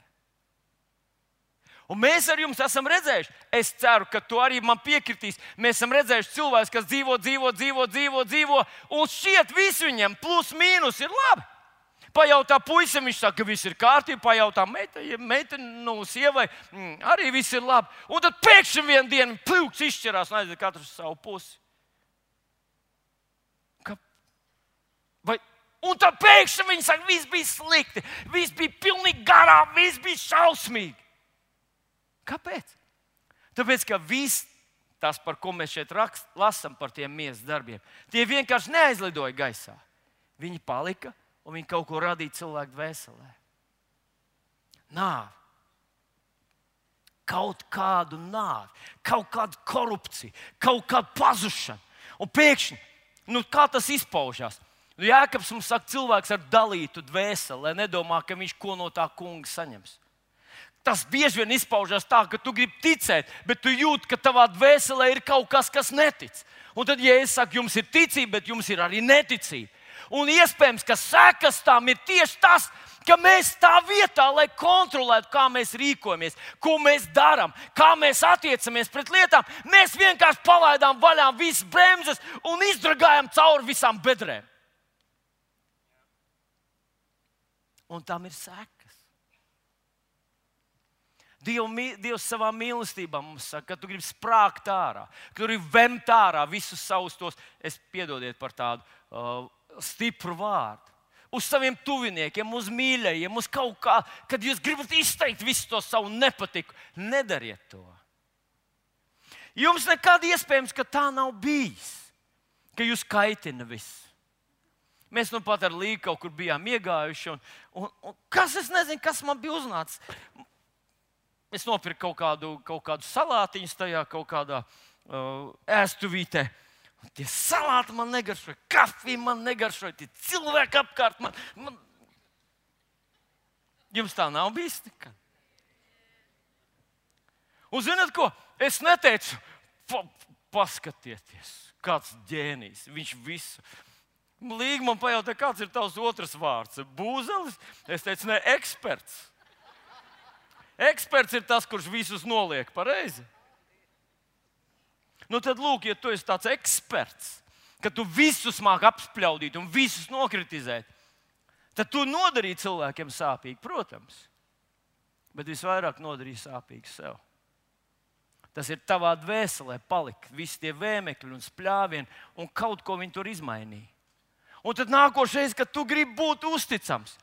Un mēs ar jums esam redzējuši, es ceru, ka tu arī man piekritīs, mēs esam redzējuši cilvēkus, kas dzīvo, dzīvo, dzīvo, dzīvo, dzīvo, un šķiet visu viņam plus mīnus ir labi. Pajautā puisim, viņš saka, ka viss ir kārtībā, pajautā meita, meita nu, sievai, mm, arī viss ir labi. Un tad pēkšņi vienu dienu pļūks izšķirās un aiziet katrs savu pusi. Ka... Vai... Un tad pēkšņi viņi saka, viss bija slikti, viss bija pilnīgi garā, viss bija šausmīgi. Kāpēc? Tāpēc, ka viss tas, par ko mēs šeit rakst, lasam par tiem miesas darbiem, tie vienkārši neaizlidoja gaisā. Viņi palika un viņi kaut ko radīja cilvēku dvēselē. Nāve. Kaut kādu nāvi, kaut kādu korupciju, kaut kādu pazušanu. Un pēkšņi, nu kā tas izpaužās? Nu, Jēkabs mums saka, cilvēks ar dalītu dvēseli, lai nedomā, ka viņš ko no tā kunga saņems. Tas bieži vien izpaužās tā, ka tu gribi ticēt, bet tu jūti, ka tavā dvēselē ir kaut kas, kas netic. Un tad, ja es saku, jums ir ticība, bet jums ir arī neticība. Un iespējams, ka sekas tam ir tieši tas, ka mēs tā vietā, lai kontrolētu, kā mēs rīkojamies, ko mēs darām, kā mēs attiecamies pret lietām, mēs vienkārši palaidām vaļā visas bremzes un izdragājam cauri visām bedrēm. Un tam ir sekas. Diev, Dievs savā mīlestībā mums saka, ka tu gribi sprāgt ārā, ka tu gribi vemt ārā visus savus tos, es piedodiet par tādu uh, stipru vārdu, uz saviem tuviniekiem, uz mīļajiem, uz kaut kā, kad jūs gribat izteikt visu to savu nepatiku, nedariet to. Jums nekad iespējams, ka tā nav bijis, ka jūs kaitina visu. Mēs nu pat ar Līgu kaut kur bijām iegājuši, un, un, un kas, es nezinu, kas man bija uznācis. Es nopirku kaut kādu, kaut kādu salātiņu tajā kaut kādā uh, ēstuvītē. Tie salāti man negaršoja, kafija man negaršoja, tie cilvēki apkārt man. man... Jums tā nav bijis nekad? Un zināt ko? Es neteicu, pa, paskatieties, kāds ģēnijs, viņš visu. Līga man pajautā, kāds ir tavs otrs vārds? Būzelis? Es teicu, ne, eksperts. Eksperts ir tas, kurš visus noliek pareizi. Nu tad, lūk, ja tu esi tāds eksperts, ka tu visus māki apspļaudīt un visus nokritizēt, tad tu nodarīji cilvēkiem sāpīgi, protams. Bet visvairāk nodarīji sāpīgi sev. Tas ir tavā dvēselē palika visi tie vēmekļi un spļāvieni, un kaut ko viņi tur izmainīja. Un tad nākošais, kad tu gribi būt uzticams,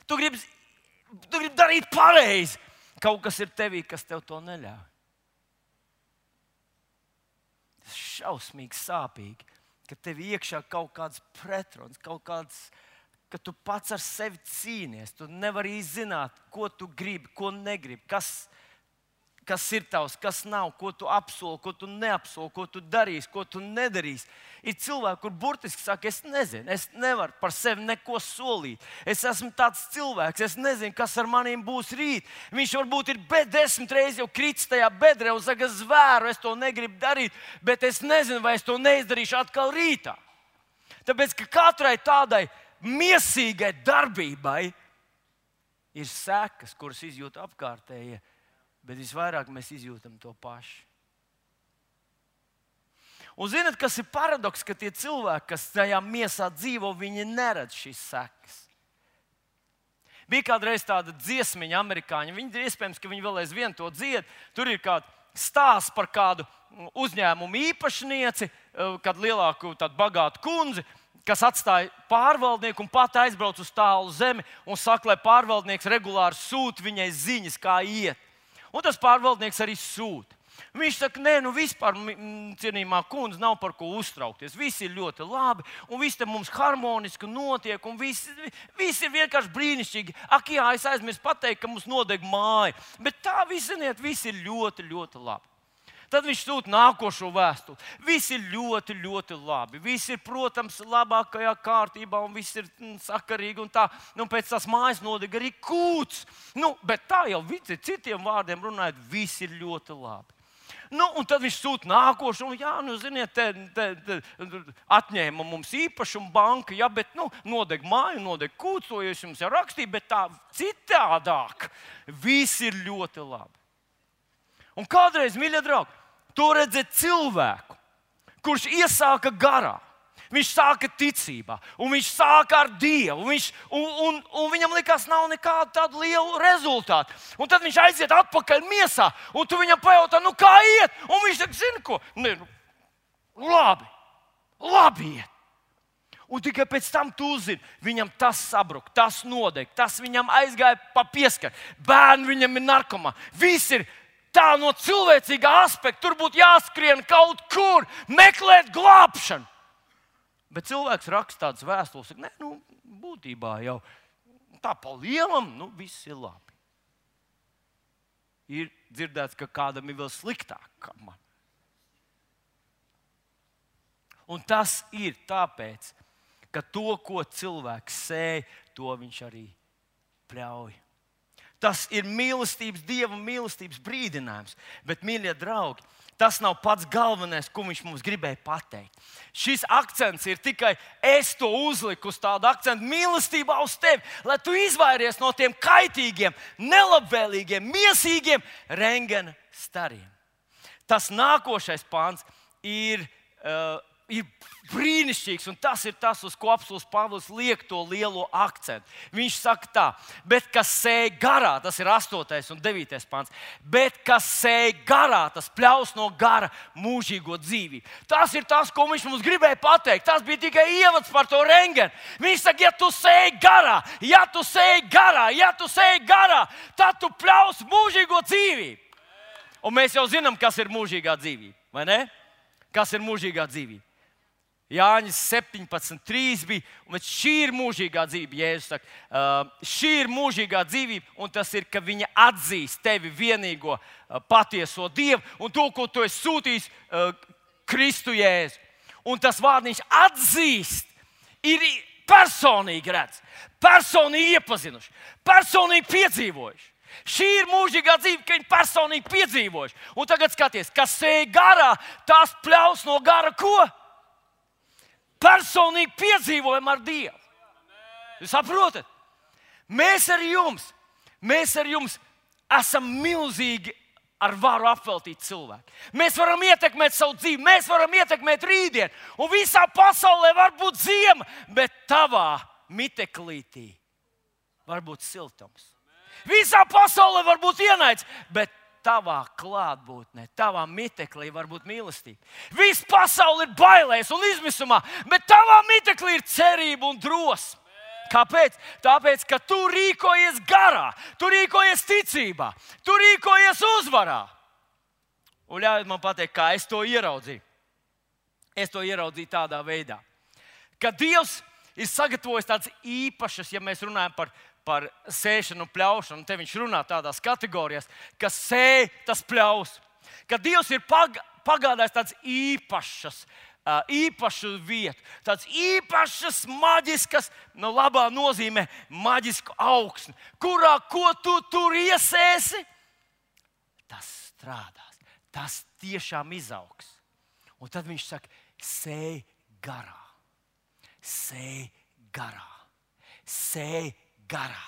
tu gribi Tu gribi darīt pareizi. Kaut kas ir tevī, kas tev to neļauj. Tas ir šausmīgi sāpīgi, ka tev iekšā kaut kāds pretruns, kaut kāds, ka tu pats ar sevi cīnies. Tu nevari izzināt, ko tu gribi, ko negribi, kas, kas ir tavs, kas nav, ko tu apsoli, ko tu neapsoli, ko tu darīsi, ko tu nedarīsi. Ir cilvēki, kur burtiski saka, es nezinu, es nevaru par sevi neko solīt. Es esmu tāds cilvēks, es nezinu, kas ar maniem būs rīt. Viņš varbūt ir desmit reizes jau kritis tajā bedrē un saka, es zvēru, es to negribu darīt, bet es nezinu, vai es to neizdarīšu atkal rītā. Tāpēc, ka katrai tādai miesīgai darbībai ir sekas, kuras izjūt apkārtējie, bet visvairāk mēs izjūtam to pašu. Un zināt, kas ir paradoks, ka tie cilvēki, kas tajā miesā dzīvo, viņi neredz šīs sekas. Bija kādreiz tāda dziesmiņa amerikāņi, viņi iespējams, ka viņi vēl aizvien to dzied. Tur ir kāds stāsts par kādu uzņēmumu īpašnieci, kādu lielāku, tādu bagātu kundzi, kas atstāja pārvaldnieku un pat aizbrauc uz tālu zemi un saka, lai pārvaldnieks regulāri sūta viņai ziņas, kā iet. Un tas pārvaldnieks arī sūta. Viņš saka, nē, nu vispār, cienījamā kundze, nav par ko uztraukties. Viss ir ļoti labi, un viss te mums harmoniski notiek, un viss, viss ir vienkārši brīnišķīgi. Ak, jā, es aizmirsu pateikt, ka mums nodeg māja. Bet tā, viss, ziniet, viss ir ļoti, ļoti labi. Tad viņš sūta nākošo vēstuli. Viss ir ļoti, ļoti labi. Viss ir, protams, labākajā kārtībā, un viss ir sakarīgi, un tā. Nu, pēc tās mājas nodeg arī kūts. Nu, bet tā jau citiem vārdiem runājot, viss ir ļoti labi. Nu, un tad viņš sūta nākošo, un, jā, nu, ziniet, te, te, te, atņēma mums īpašumu banka, ja, bet, nu, nodeg māju, nodeg kūcu, jo es jums jau rakstīju, bet tā citādāk. Viss ir ļoti labi. Un kādreiz, mīļie draugi, to redzēt cilvēku, kurš iesāka garā. Viņš sāka ticībā, un viņš sāka ar Dievu, un, viņš, un, un, un viņam likās, nav nekādu tādu lielu rezultātu. Un tad viņš aiziet atpakaļ miesā, un tu viņam pajautā, nu kā iet? Un viņš saka, zini ko? Ne, nu, labi, labi iet. Un tikai pēc tam tu uzzini, viņam tas sabruka, tas nodeg, tas viņam aizgāja pa pieskaru. Bērni viņam ir narkomā. Viss ir tā no cilvēcīgā aspekta. Tur būtu jāskrien kaut kur, meklēt glābšanu. Bet cilvēks raksta tādas vēstules, ka, ne, nu, būtībā jau tā pa lielam, nu, viss ir labi. Ir dzirdēts, ka kādam ir vēl sliktāk kā man. Un tas ir tāpēc, ka to, ko cilvēks sēj, to viņš arī pļauj. Tas ir mīlestības, Dieva mīlestības brīdinājums. Bet, mīļie draugi, tas nav pats galvenais, ko viņš mums gribēja pateikt. Šis akcents ir tikai es to uzliku uz tādu akcentu mīlestībā uz tevi, lai tu izvairies no tiem kaitīgiem, nelabvēlīgiem, miesīgiem rengena stariem. Tas nākošais pāns ir, uh, ir brīnišķīgs, un tas ir tas, uz ko apostuls Pāvils liek to lielo akcentu. Viņš saka tā, bet kas sēj garā, tas ir astotais un devītais pāns, bet kas sēj garā, tas pļaus no gara mūžīgo dzīvību. Tas ir tas, ko viņš mums gribēja pateikt. Tas bija tikai ievads par to rengenu. Viņš saka, ja tu sēj garā, ja tu sēj garā, ja tu sēj garā, tad tu pļaus mūžīgo dzīvību. Un mēs jau zinām, kas ir mūžīgā dzīvība, vai ne? Kas ir mūžīgā dzīvība? Jāņas septiņpadsmit trīs bija, un šī ir mūžīgā dzīvība. Jēzus saka, uh, šī ir mūžīgā dzīvība, un tas ir, ka viņa atzīst tevi vienīgo uh, patieso Dievu un to, ko tu esi sūtījis uh, Kristu Jēzu. Un tas vārdiņš atzīst ir personīgi redz, personīgi iepazinuši, personīgi piedzīvojuši. Šī ir mūžīgā dzīve, ka viņi personīgi piedzīvojuši. Un tagad skaties, kas sēj garā, tās pļaus no gara ko? Personīgi piedzīvojam ar Dievu. Jūs saprotat? Mēs ar jums, mēs ar jums esam milzīgi ar varu apveltīti cilvēki. Mēs varam ietekmēt savu dzīvi, mēs varam ietekmēt rītdienu. Un visā pasaulē var būt ziema, bet tavā miteklītī var būt siltums. Visā pasaulē var būt ienaids, bet tavā klātbūtnē, tavā miteklī var būt mīlestība. Viss pasaule ir bailēs un izmisumā, bet tavā miteklī ir cerība un drosme. Kāpēc? Tāpēc, ka tu rīkojies garā, tu rīkojies ticībā, tu rīkojies uzvarā. Un ļaujiet man pateikt, kā es to ieraudzīju. Es to ieraudzīju tādā veidā, ka Dievs ir sagatavojis tādas īpašas, ja mēs runājam par par sēšanu un pļaušanu, un te viņš runā tādās kategorijās, ka sēj, tas pļaus. Ka Dievs ir pag, pagādājis tādas īpašas, īpašu vietu, tādas īpašas maģiskas, no labā nozīmē maģisku augsni, kurā ko tu tur iesēsi, tas strādās, tas tiešām izaugs. Un tad viņš saka, sēj garā, sēj garā, sēj garā,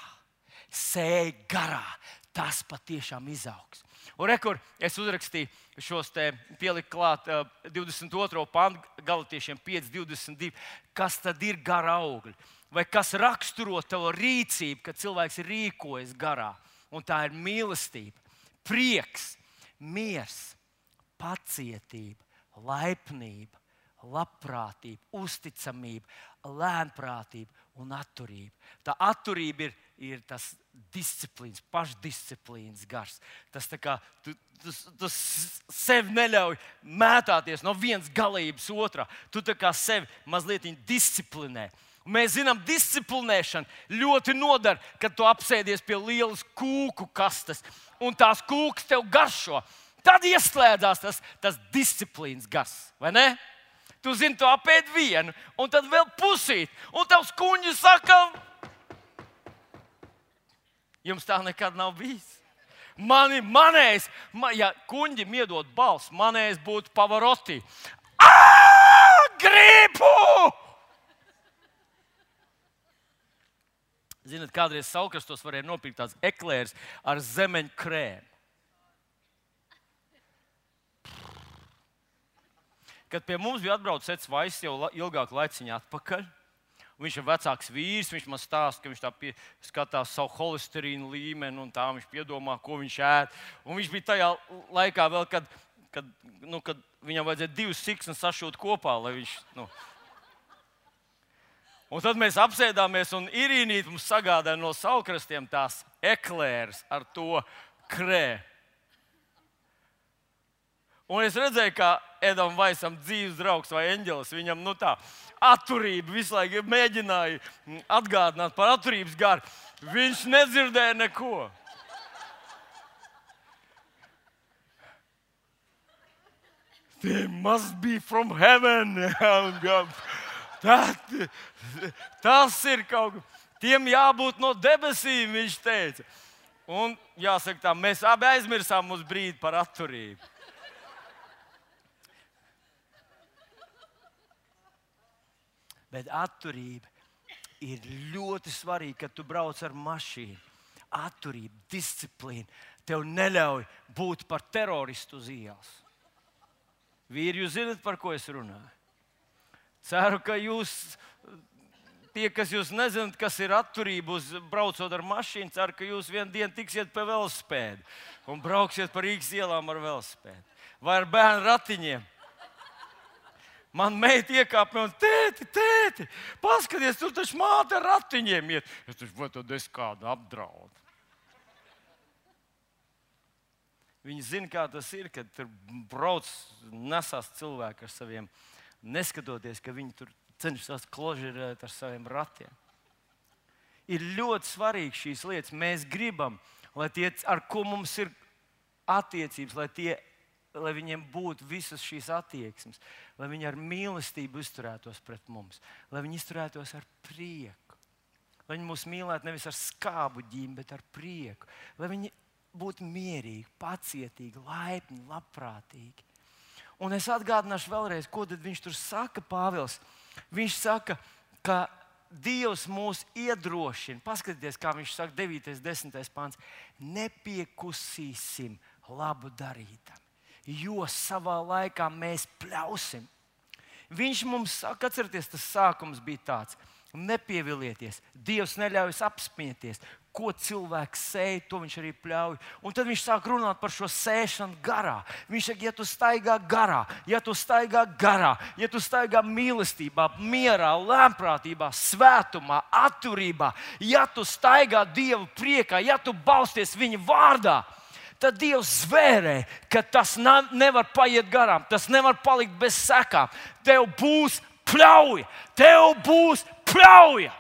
sēj garā, tas patiešām izaugs. Un rekur, es uzrakstīju šos te, pieliku klāt uh, divdesmit otro pantu, Galatiešiem pieci divdesmit divi. Kas tad ir gara augļi? Vai kas raksturo tavu rīcību, kad cilvēks rīkojas garā? Un tā ir mīlestība, prieks, miers, pacietība, laipnība, labprātība, uzticamība, lēnprātība un atturība. Tā atturība ir, ir tas disciplīns, pašdisciplīns gars. Tas tā kā tu, tu, tu sev neļauj mētāties no vienas galības otrā. Tu tā kā sevi mazliet disciplinē. Un mēs zinām, disciplinēšana ļoti nodara, kad tu apsēdies pie lielas kūku kastes un tās kūkas tev garšo. Tad ieslēdzās tas, tas disciplīns gars, vai ne? Tu zini, tu apēd vienu, un tad vēl pusīt, un tavs kuņģis saka, jums tā nekad nav bijis. Mani, manējs, man, ja kuņģim iedod balss, manējs būtu Pavarotti. Ā, gribu! Zināt, kādreiz Saukrastos varēja nopirkt tāds eklērs ar zemeņu krēmu. Kad pie mums bija atbraucis Eds Vaiss jau ilgāku laiciņu atpakaļ, viņš ir vecāks vīrs, viņš man stāsta, ka viņš tā pie, skatās savu holesterīnu līmeni un tā viņš piedomā, ko viņš ēd. Un viņš bija tajā laikā vēl, kad, kad, nu, kad viņam vajadzēja divas siksnas sašūt kopā, lai viņš... Nu. Un tad mēs apsēdāmies un Irīnīt mums sagādāja no Saukrastiem tās eklērs ar to krēmu. Un es redzēju, kā Edam Vaisam dzīves draugs vai eņģelis, viņam nu tā atturība visu laiku mēģināja atgādināt par atturības garu. Viņš nedzirdēja neko. They must be from heaven. Tā, tas ir kaut kas. Tiem jābūt no debesīm, viņš teica. Un jāsaka tā, mēs abi aizmirsām uz brīdi par atturību. Bet atturība ir ļoti svarīga, kad tu brauc ar mašīnu. Atturība, disciplīna tev neļauj būt par teroristu uz ielas. Vīri, jūs zināt, par ko es runāju? Ceru, ka jūs, tie, kas jūs nezināt, kas ir atturība uz braucot ar mašīnu, ceru, ka jūs vienu dienu tiksiet pie velosipēda un brauksiet par Rīgas ielām ar velosipēdu. Vai ar bērnu ratiņiem. Man meita iekāpa un tēti, tēti, paskaties, tu taču māte ar ratiņiem iet. Es taču, vai tad es kādu apdraudu? Viņi zina, kā tas ir, kad tur brauc, nesās cilvēki ar saviem, neskatoties, ka viņi tur cenšas kložirēt ar saviem ratiem. Ir ļoti svarīgi šīs lietas. Mēs gribam, lai tie, ar ko mums ir attiecības, lai tie lai viņiem būtu visas šīs attieksmes, lai viņi ar mīlestību izturētos pret mums, lai viņi izturētos ar prieku, lai viņi mūs mīlētu nevis ar skābu ģīmi, bet ar prieku, lai viņi būtu mierīgi, pacietīgi, laipni, labprātīgi. Un es atgādināšu vēlreiz, ko tad viņš tur saka, Pāvils. Viņš saka, ka Dievs mūs iedrošina. Paskatieties, kā viņš saka, devītais, desmitais pants. Nepiekusīsim labu darītam, jo savā laikā mēs pļausim. Viņš mums saka, atcerieties, tas sākums bija tāds: nepievilieties, Dievs neļaujas apspieties. Ko cilvēks sēj, to viņš arī pļauj. Un tad viņš sāk runāt par šo sēšanu garā. Viņš saka, ja tu staigā garā, ja tu staigā garā, ja tu staigā mīlestībā, mierā, lēnprātībā, svētumā, atturībā, ja tu staigā Dievu priekā, ja tu balsties viņa vārdā, tad Dievs zvērē, ka tas nevar paiet garām, tas nevar palikt bez sekām. Tev būs pļauja, tev būs pļauja.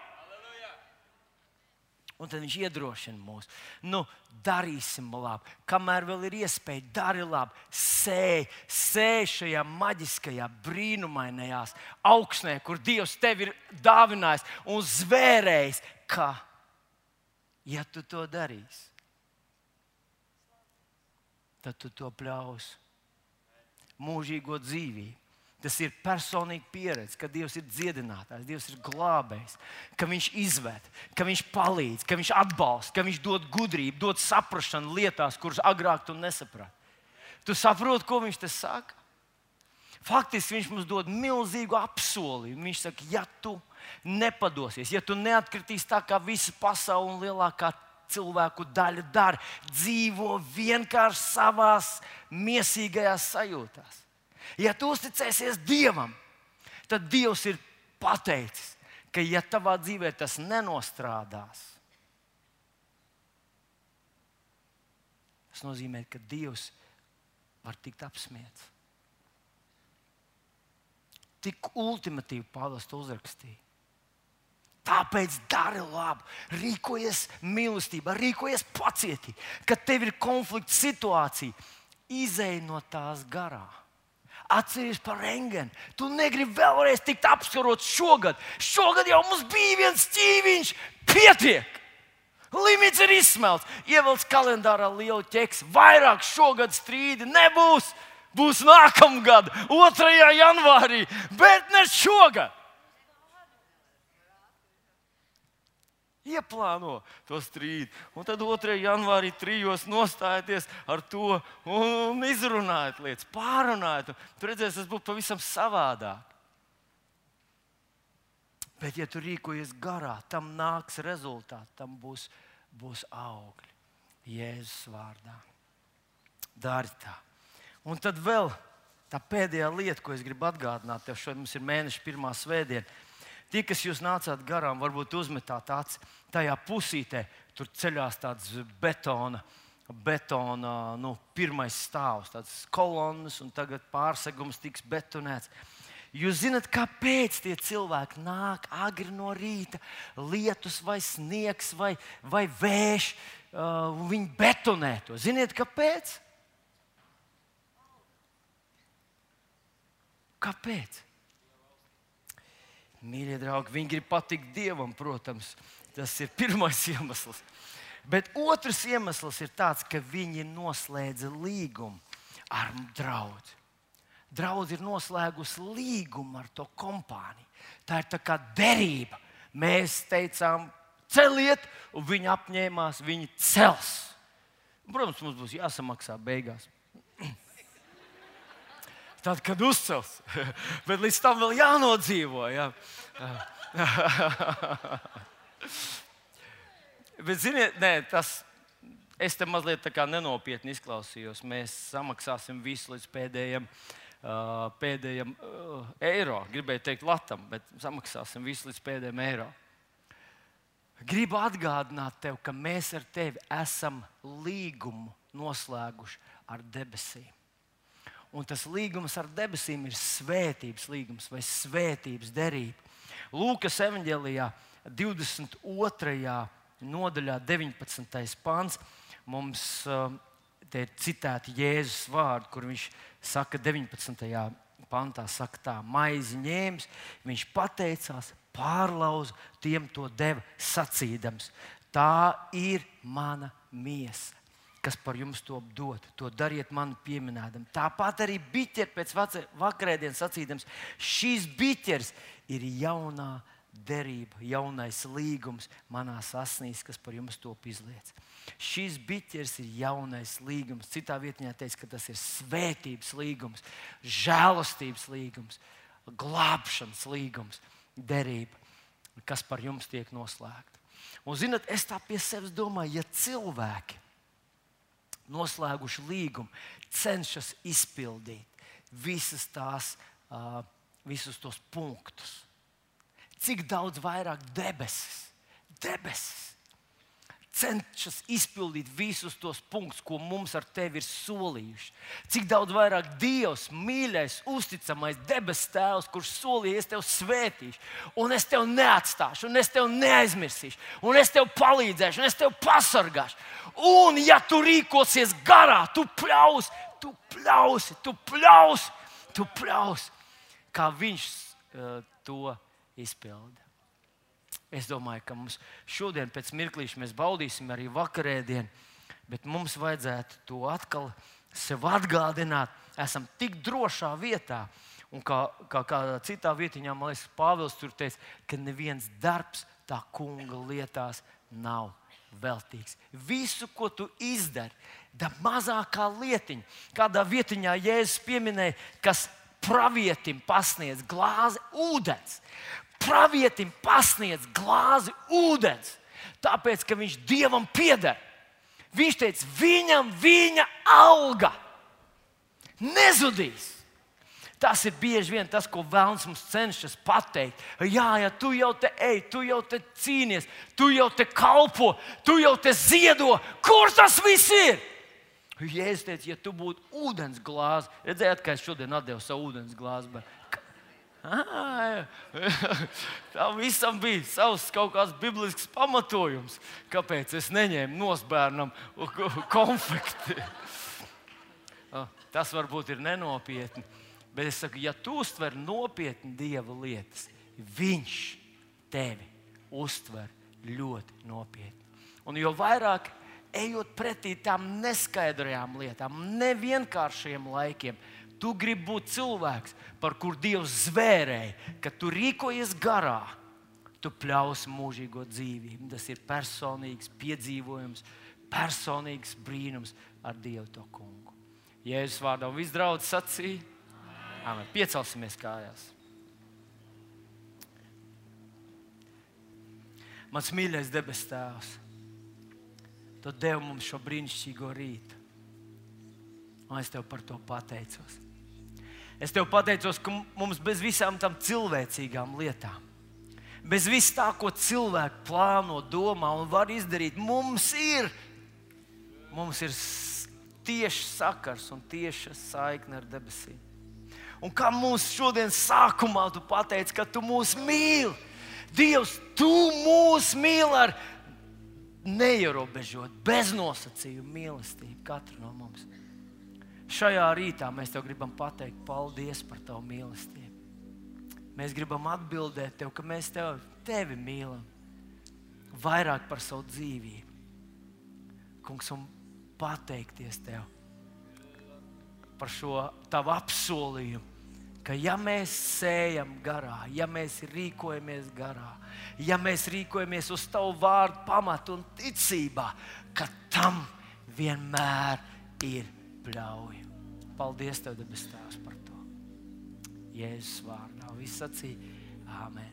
Un tad viņš iedrošina mūs. Nu, darīsim labi. Kamēr vēl ir iespēja, dari labi. Sēj, sēj šajā maģiskajā, brīnumainajās augsnē, kur Dievs tev ir dāvinājis un zvērējis, ka, ja tu to darīsi, tad tu to pļaus mūžīgo dzīvību. Tas ir personīga pieredze, ka Dievs ir dziedinātājs, Dievs ir glābējs, ka Viņš izved, ka Viņš palīdz, ka Viņš atbalsta, ka Viņš dod gudrību, dod saprašanu lietās, kuras agrāk tu nesaprati. Tu saproti, ko Viņš te saka? Faktiski Viņš mums dod milzīgu apsolījumu. Viņš saka, ja tu nepadosies, ja tu neatkritīs tā, kā visa pasaule un lielākā cilvēku daļa dara, dzīvo vienkārši savās miesīgajās sajūtās. Ja tu uzticēsies Dievam, tad Dievs ir pateicis, ka ja tavā dzīvē tas nenostrādās, tas nozīmē, ka Dievs var tikt apsmiets. Tik ultimatīvi Pāvils to uzrakstīja. Tāpēc dari labu, rīkojies mīlestībā, rīkojies pacietīgi. Kad tev ir konflikta situācija, izej no tās garā. Atceries par rengeni. Tu negribi vēlreiz tikt apskarots šogad. Šogad jau mums bija viens ķīviņš, pietiek. Limits ir izsmelts. Ievelc kalendārā lielu ķeksi. Vairāk šogad strīdi nebūs. Būs nākamgad, otrajā janvārī, bet ne šogad. Ieplāno to strīdu. Un tad otrajā janvārī trijos nostājieties ar to un izrunājiet lietas, pārunājiet. Tur redzēs, tas būs pavisam savādāk. Bet, ja tu rīkojies garā, tam nāks rezultāti, tam būs, būs augļi. Jēzus vārdā. Dari tā. Un tad vēl tā pēdējā lieta, ko es gribu atgādināt tev, šodien mums ir mēneša pirmā svētdiena. Tie, kas jūs nācāt garām, varbūt uzmetāt acis tajā pusītē, tur ceļās tāds betona, betona nu, pirmais stāvs, tāds kolonnas, un tagad pārsegums tiks betonēts. Jūs zināt, kāpēc tie cilvēki nāk agri no rīta, lietus vai sniegs vai, vai vējš, uh, viņi betonē to. Ziniet, kāpēc? Kāpēc? Mīļie draugi, viņi grib patikt Dievam, protams. Tas ir pirmais iemesls. Bet otrs iemesls ir tāds, ka viņi noslēdza līgumu ar draugu. Draudz ir noslēgusi līgumu ar to kompāniju. Tā ir tā kā derība. Mēs teicām, celiet, un viņi apņēmās, viņi cels. Protams, mums būs jāsamaksā beigās. Tad, kad uzcels, bet līdz tam vēl jānodzīvo. Jā. Bet, ziniet, nē, tas, es te mazliet tā kā nenopietni izklausījos. Mēs samaksāsim visu līdz pēdējiem, uh, pēdējiem uh, eiro. Gribēju teikt latam, bet samaksāsim visu līdz pēdējiem eiro. Gribu atgādināt tev, ka mēs ar tevi esam līgumu noslēguši ar debesīm. Un tas līgums ar debesīm ir svētības līgums vai svētības derība. Lūkas evaņģēlijā divdesmit otrajā nodaļā deviņpadsmitais pants mums te ir citēti Jēzus vārdi, kur viņš saka deviņpadsmitajā pantā, saka tā, maizi ņēmis, viņš pateicās, pārlauza, tiem to deva sacīdams. Tā ir mana miesa, kas par jums to dod. To dariet man pieminēdam. Tāpat arī biķeri pēc vakarēdienas sacīdams, šīs biķeris ir jaunā derība, jaunais līgums manās asnīs, kas par jums top izliets. Šīs biķeris ir jaunais līgums. Citā vietā teica, ka tas ir svētības līgums, žēlastības līgums, glābšanas līgums, derība, kas par jums tiek noslēgta. Un zināt, es tā pie sevis domāju, ja cilvēki noslēguši līgumu, cenšas izpildīt visas tās, uh, visus tos punktus. Cik daudz vairāk debesis, debesis cenšas izpildīt visus tos punktus, ko mums ar tevi ir solījuši. Cik daudz vairāk Dievs, mīļais, uzticamais debes tēvs, kurš solīja, es tevi svētīšu, un es tevi neatstāšu, un es tevi neaizmirsīšu, un es tevi palīdzēšu, un es tevi pasargāšu. Un ja tu rīkosies garā, tu pļausi, tu pļausi, tu pļausi, tu pļausi, kā viņš uh, to izpilda. Es domāju, ka mums šodien pēc mirklīša mēs baudīsim arī vakarēdienu, bet mums vajadzētu to atkal sev atgādināt. Esam tik drošā vietā, un kā, kā kādā citā vietiņā, man liekas, Pāvils tur teica, ka neviens darbs tā kunga lietās nav veltīgs. Visu, ko tu izdari, da mazākā lietiņa, kādā vietiņā Jēzus pieminēja, kas pravietim pasniedz glāzi ūdens. Pravietim pasniedz glāzi ūdens, tāpēc, ka viņš Dievam pieder. Viņš teica, viņam viņa alga nezudīs. Tas ir bieži vien tas, ko Velns mums cenšas pateikt. Jā, ja tu jau te ej, tu jau te cīnies, tu jau te kalpo, tu jau te ziedo. Kur tas viss ir? Jēzus teica, ja tu būtu ūdens glāzi, redzējāt, kā es šodien atdevu savu ūdens glāzi, bet Ah, tā visam bija savs kaut kāds biblisks pamatojums, kāpēc es neņēmu nosbērnam konfekti. Tas varbūt ir nenopietni, bet es saku, ja tu uztver nopietni Dieva lietas, viņš tevi uztver ļoti nopietni. Un jo vairāk ejot pretī tām neskaidrajām lietām, nevienkāršiem laikiem, tu gribi būt cilvēks, par kur Dievs zvērēja, ka tu rīkojies garā, tu pļausi mūžīgo dzīvību. Tas ir personīgs piedzīvojums, personīgs brīnums ar Dievu to kungu. Jēzus vārdā un viss draudz sacīja. Amen. Piecelsimies kājās. Mans mīļais debes Tēvs, Tu devi mums šo brīnišķīgo rītu. Un es Tev par to pateicos. Es Tev pateicos, ka mums bez visām tam cilvēcīgām lietām, bez viss tā, ko cilvēki plāno, domā un var izdarīt, mums ir, mums ir tieši sakars un tieša saikne ar debesīm. Un kā mums šodien sākumā Tu pateici, ka Tu mūs mīli. Dievs, Tu mūs mīli ar neierobežot, bez nosacījumu mīlestību katru no mums. Šajā rītā mēs Tev gribam pateikt paldies par Tavu mīlestību. Mēs gribam atbildēt Tev, ka mēs Tev, Tevi mīlam vairāk par savu dzīvību. Kungs, un pateikties Tev par šo Tavu apsolījumu, ka ja mēs sējam garā, ja mēs rīkojamies garā, ja mēs rīkojamies uz Tavu vārdu pamatu un ticībā, ka tam vienmēr ir pļauja. Paldies Tev, debes Tēvs, par to. Jēzus vārdā. Visi sacīja, āmen.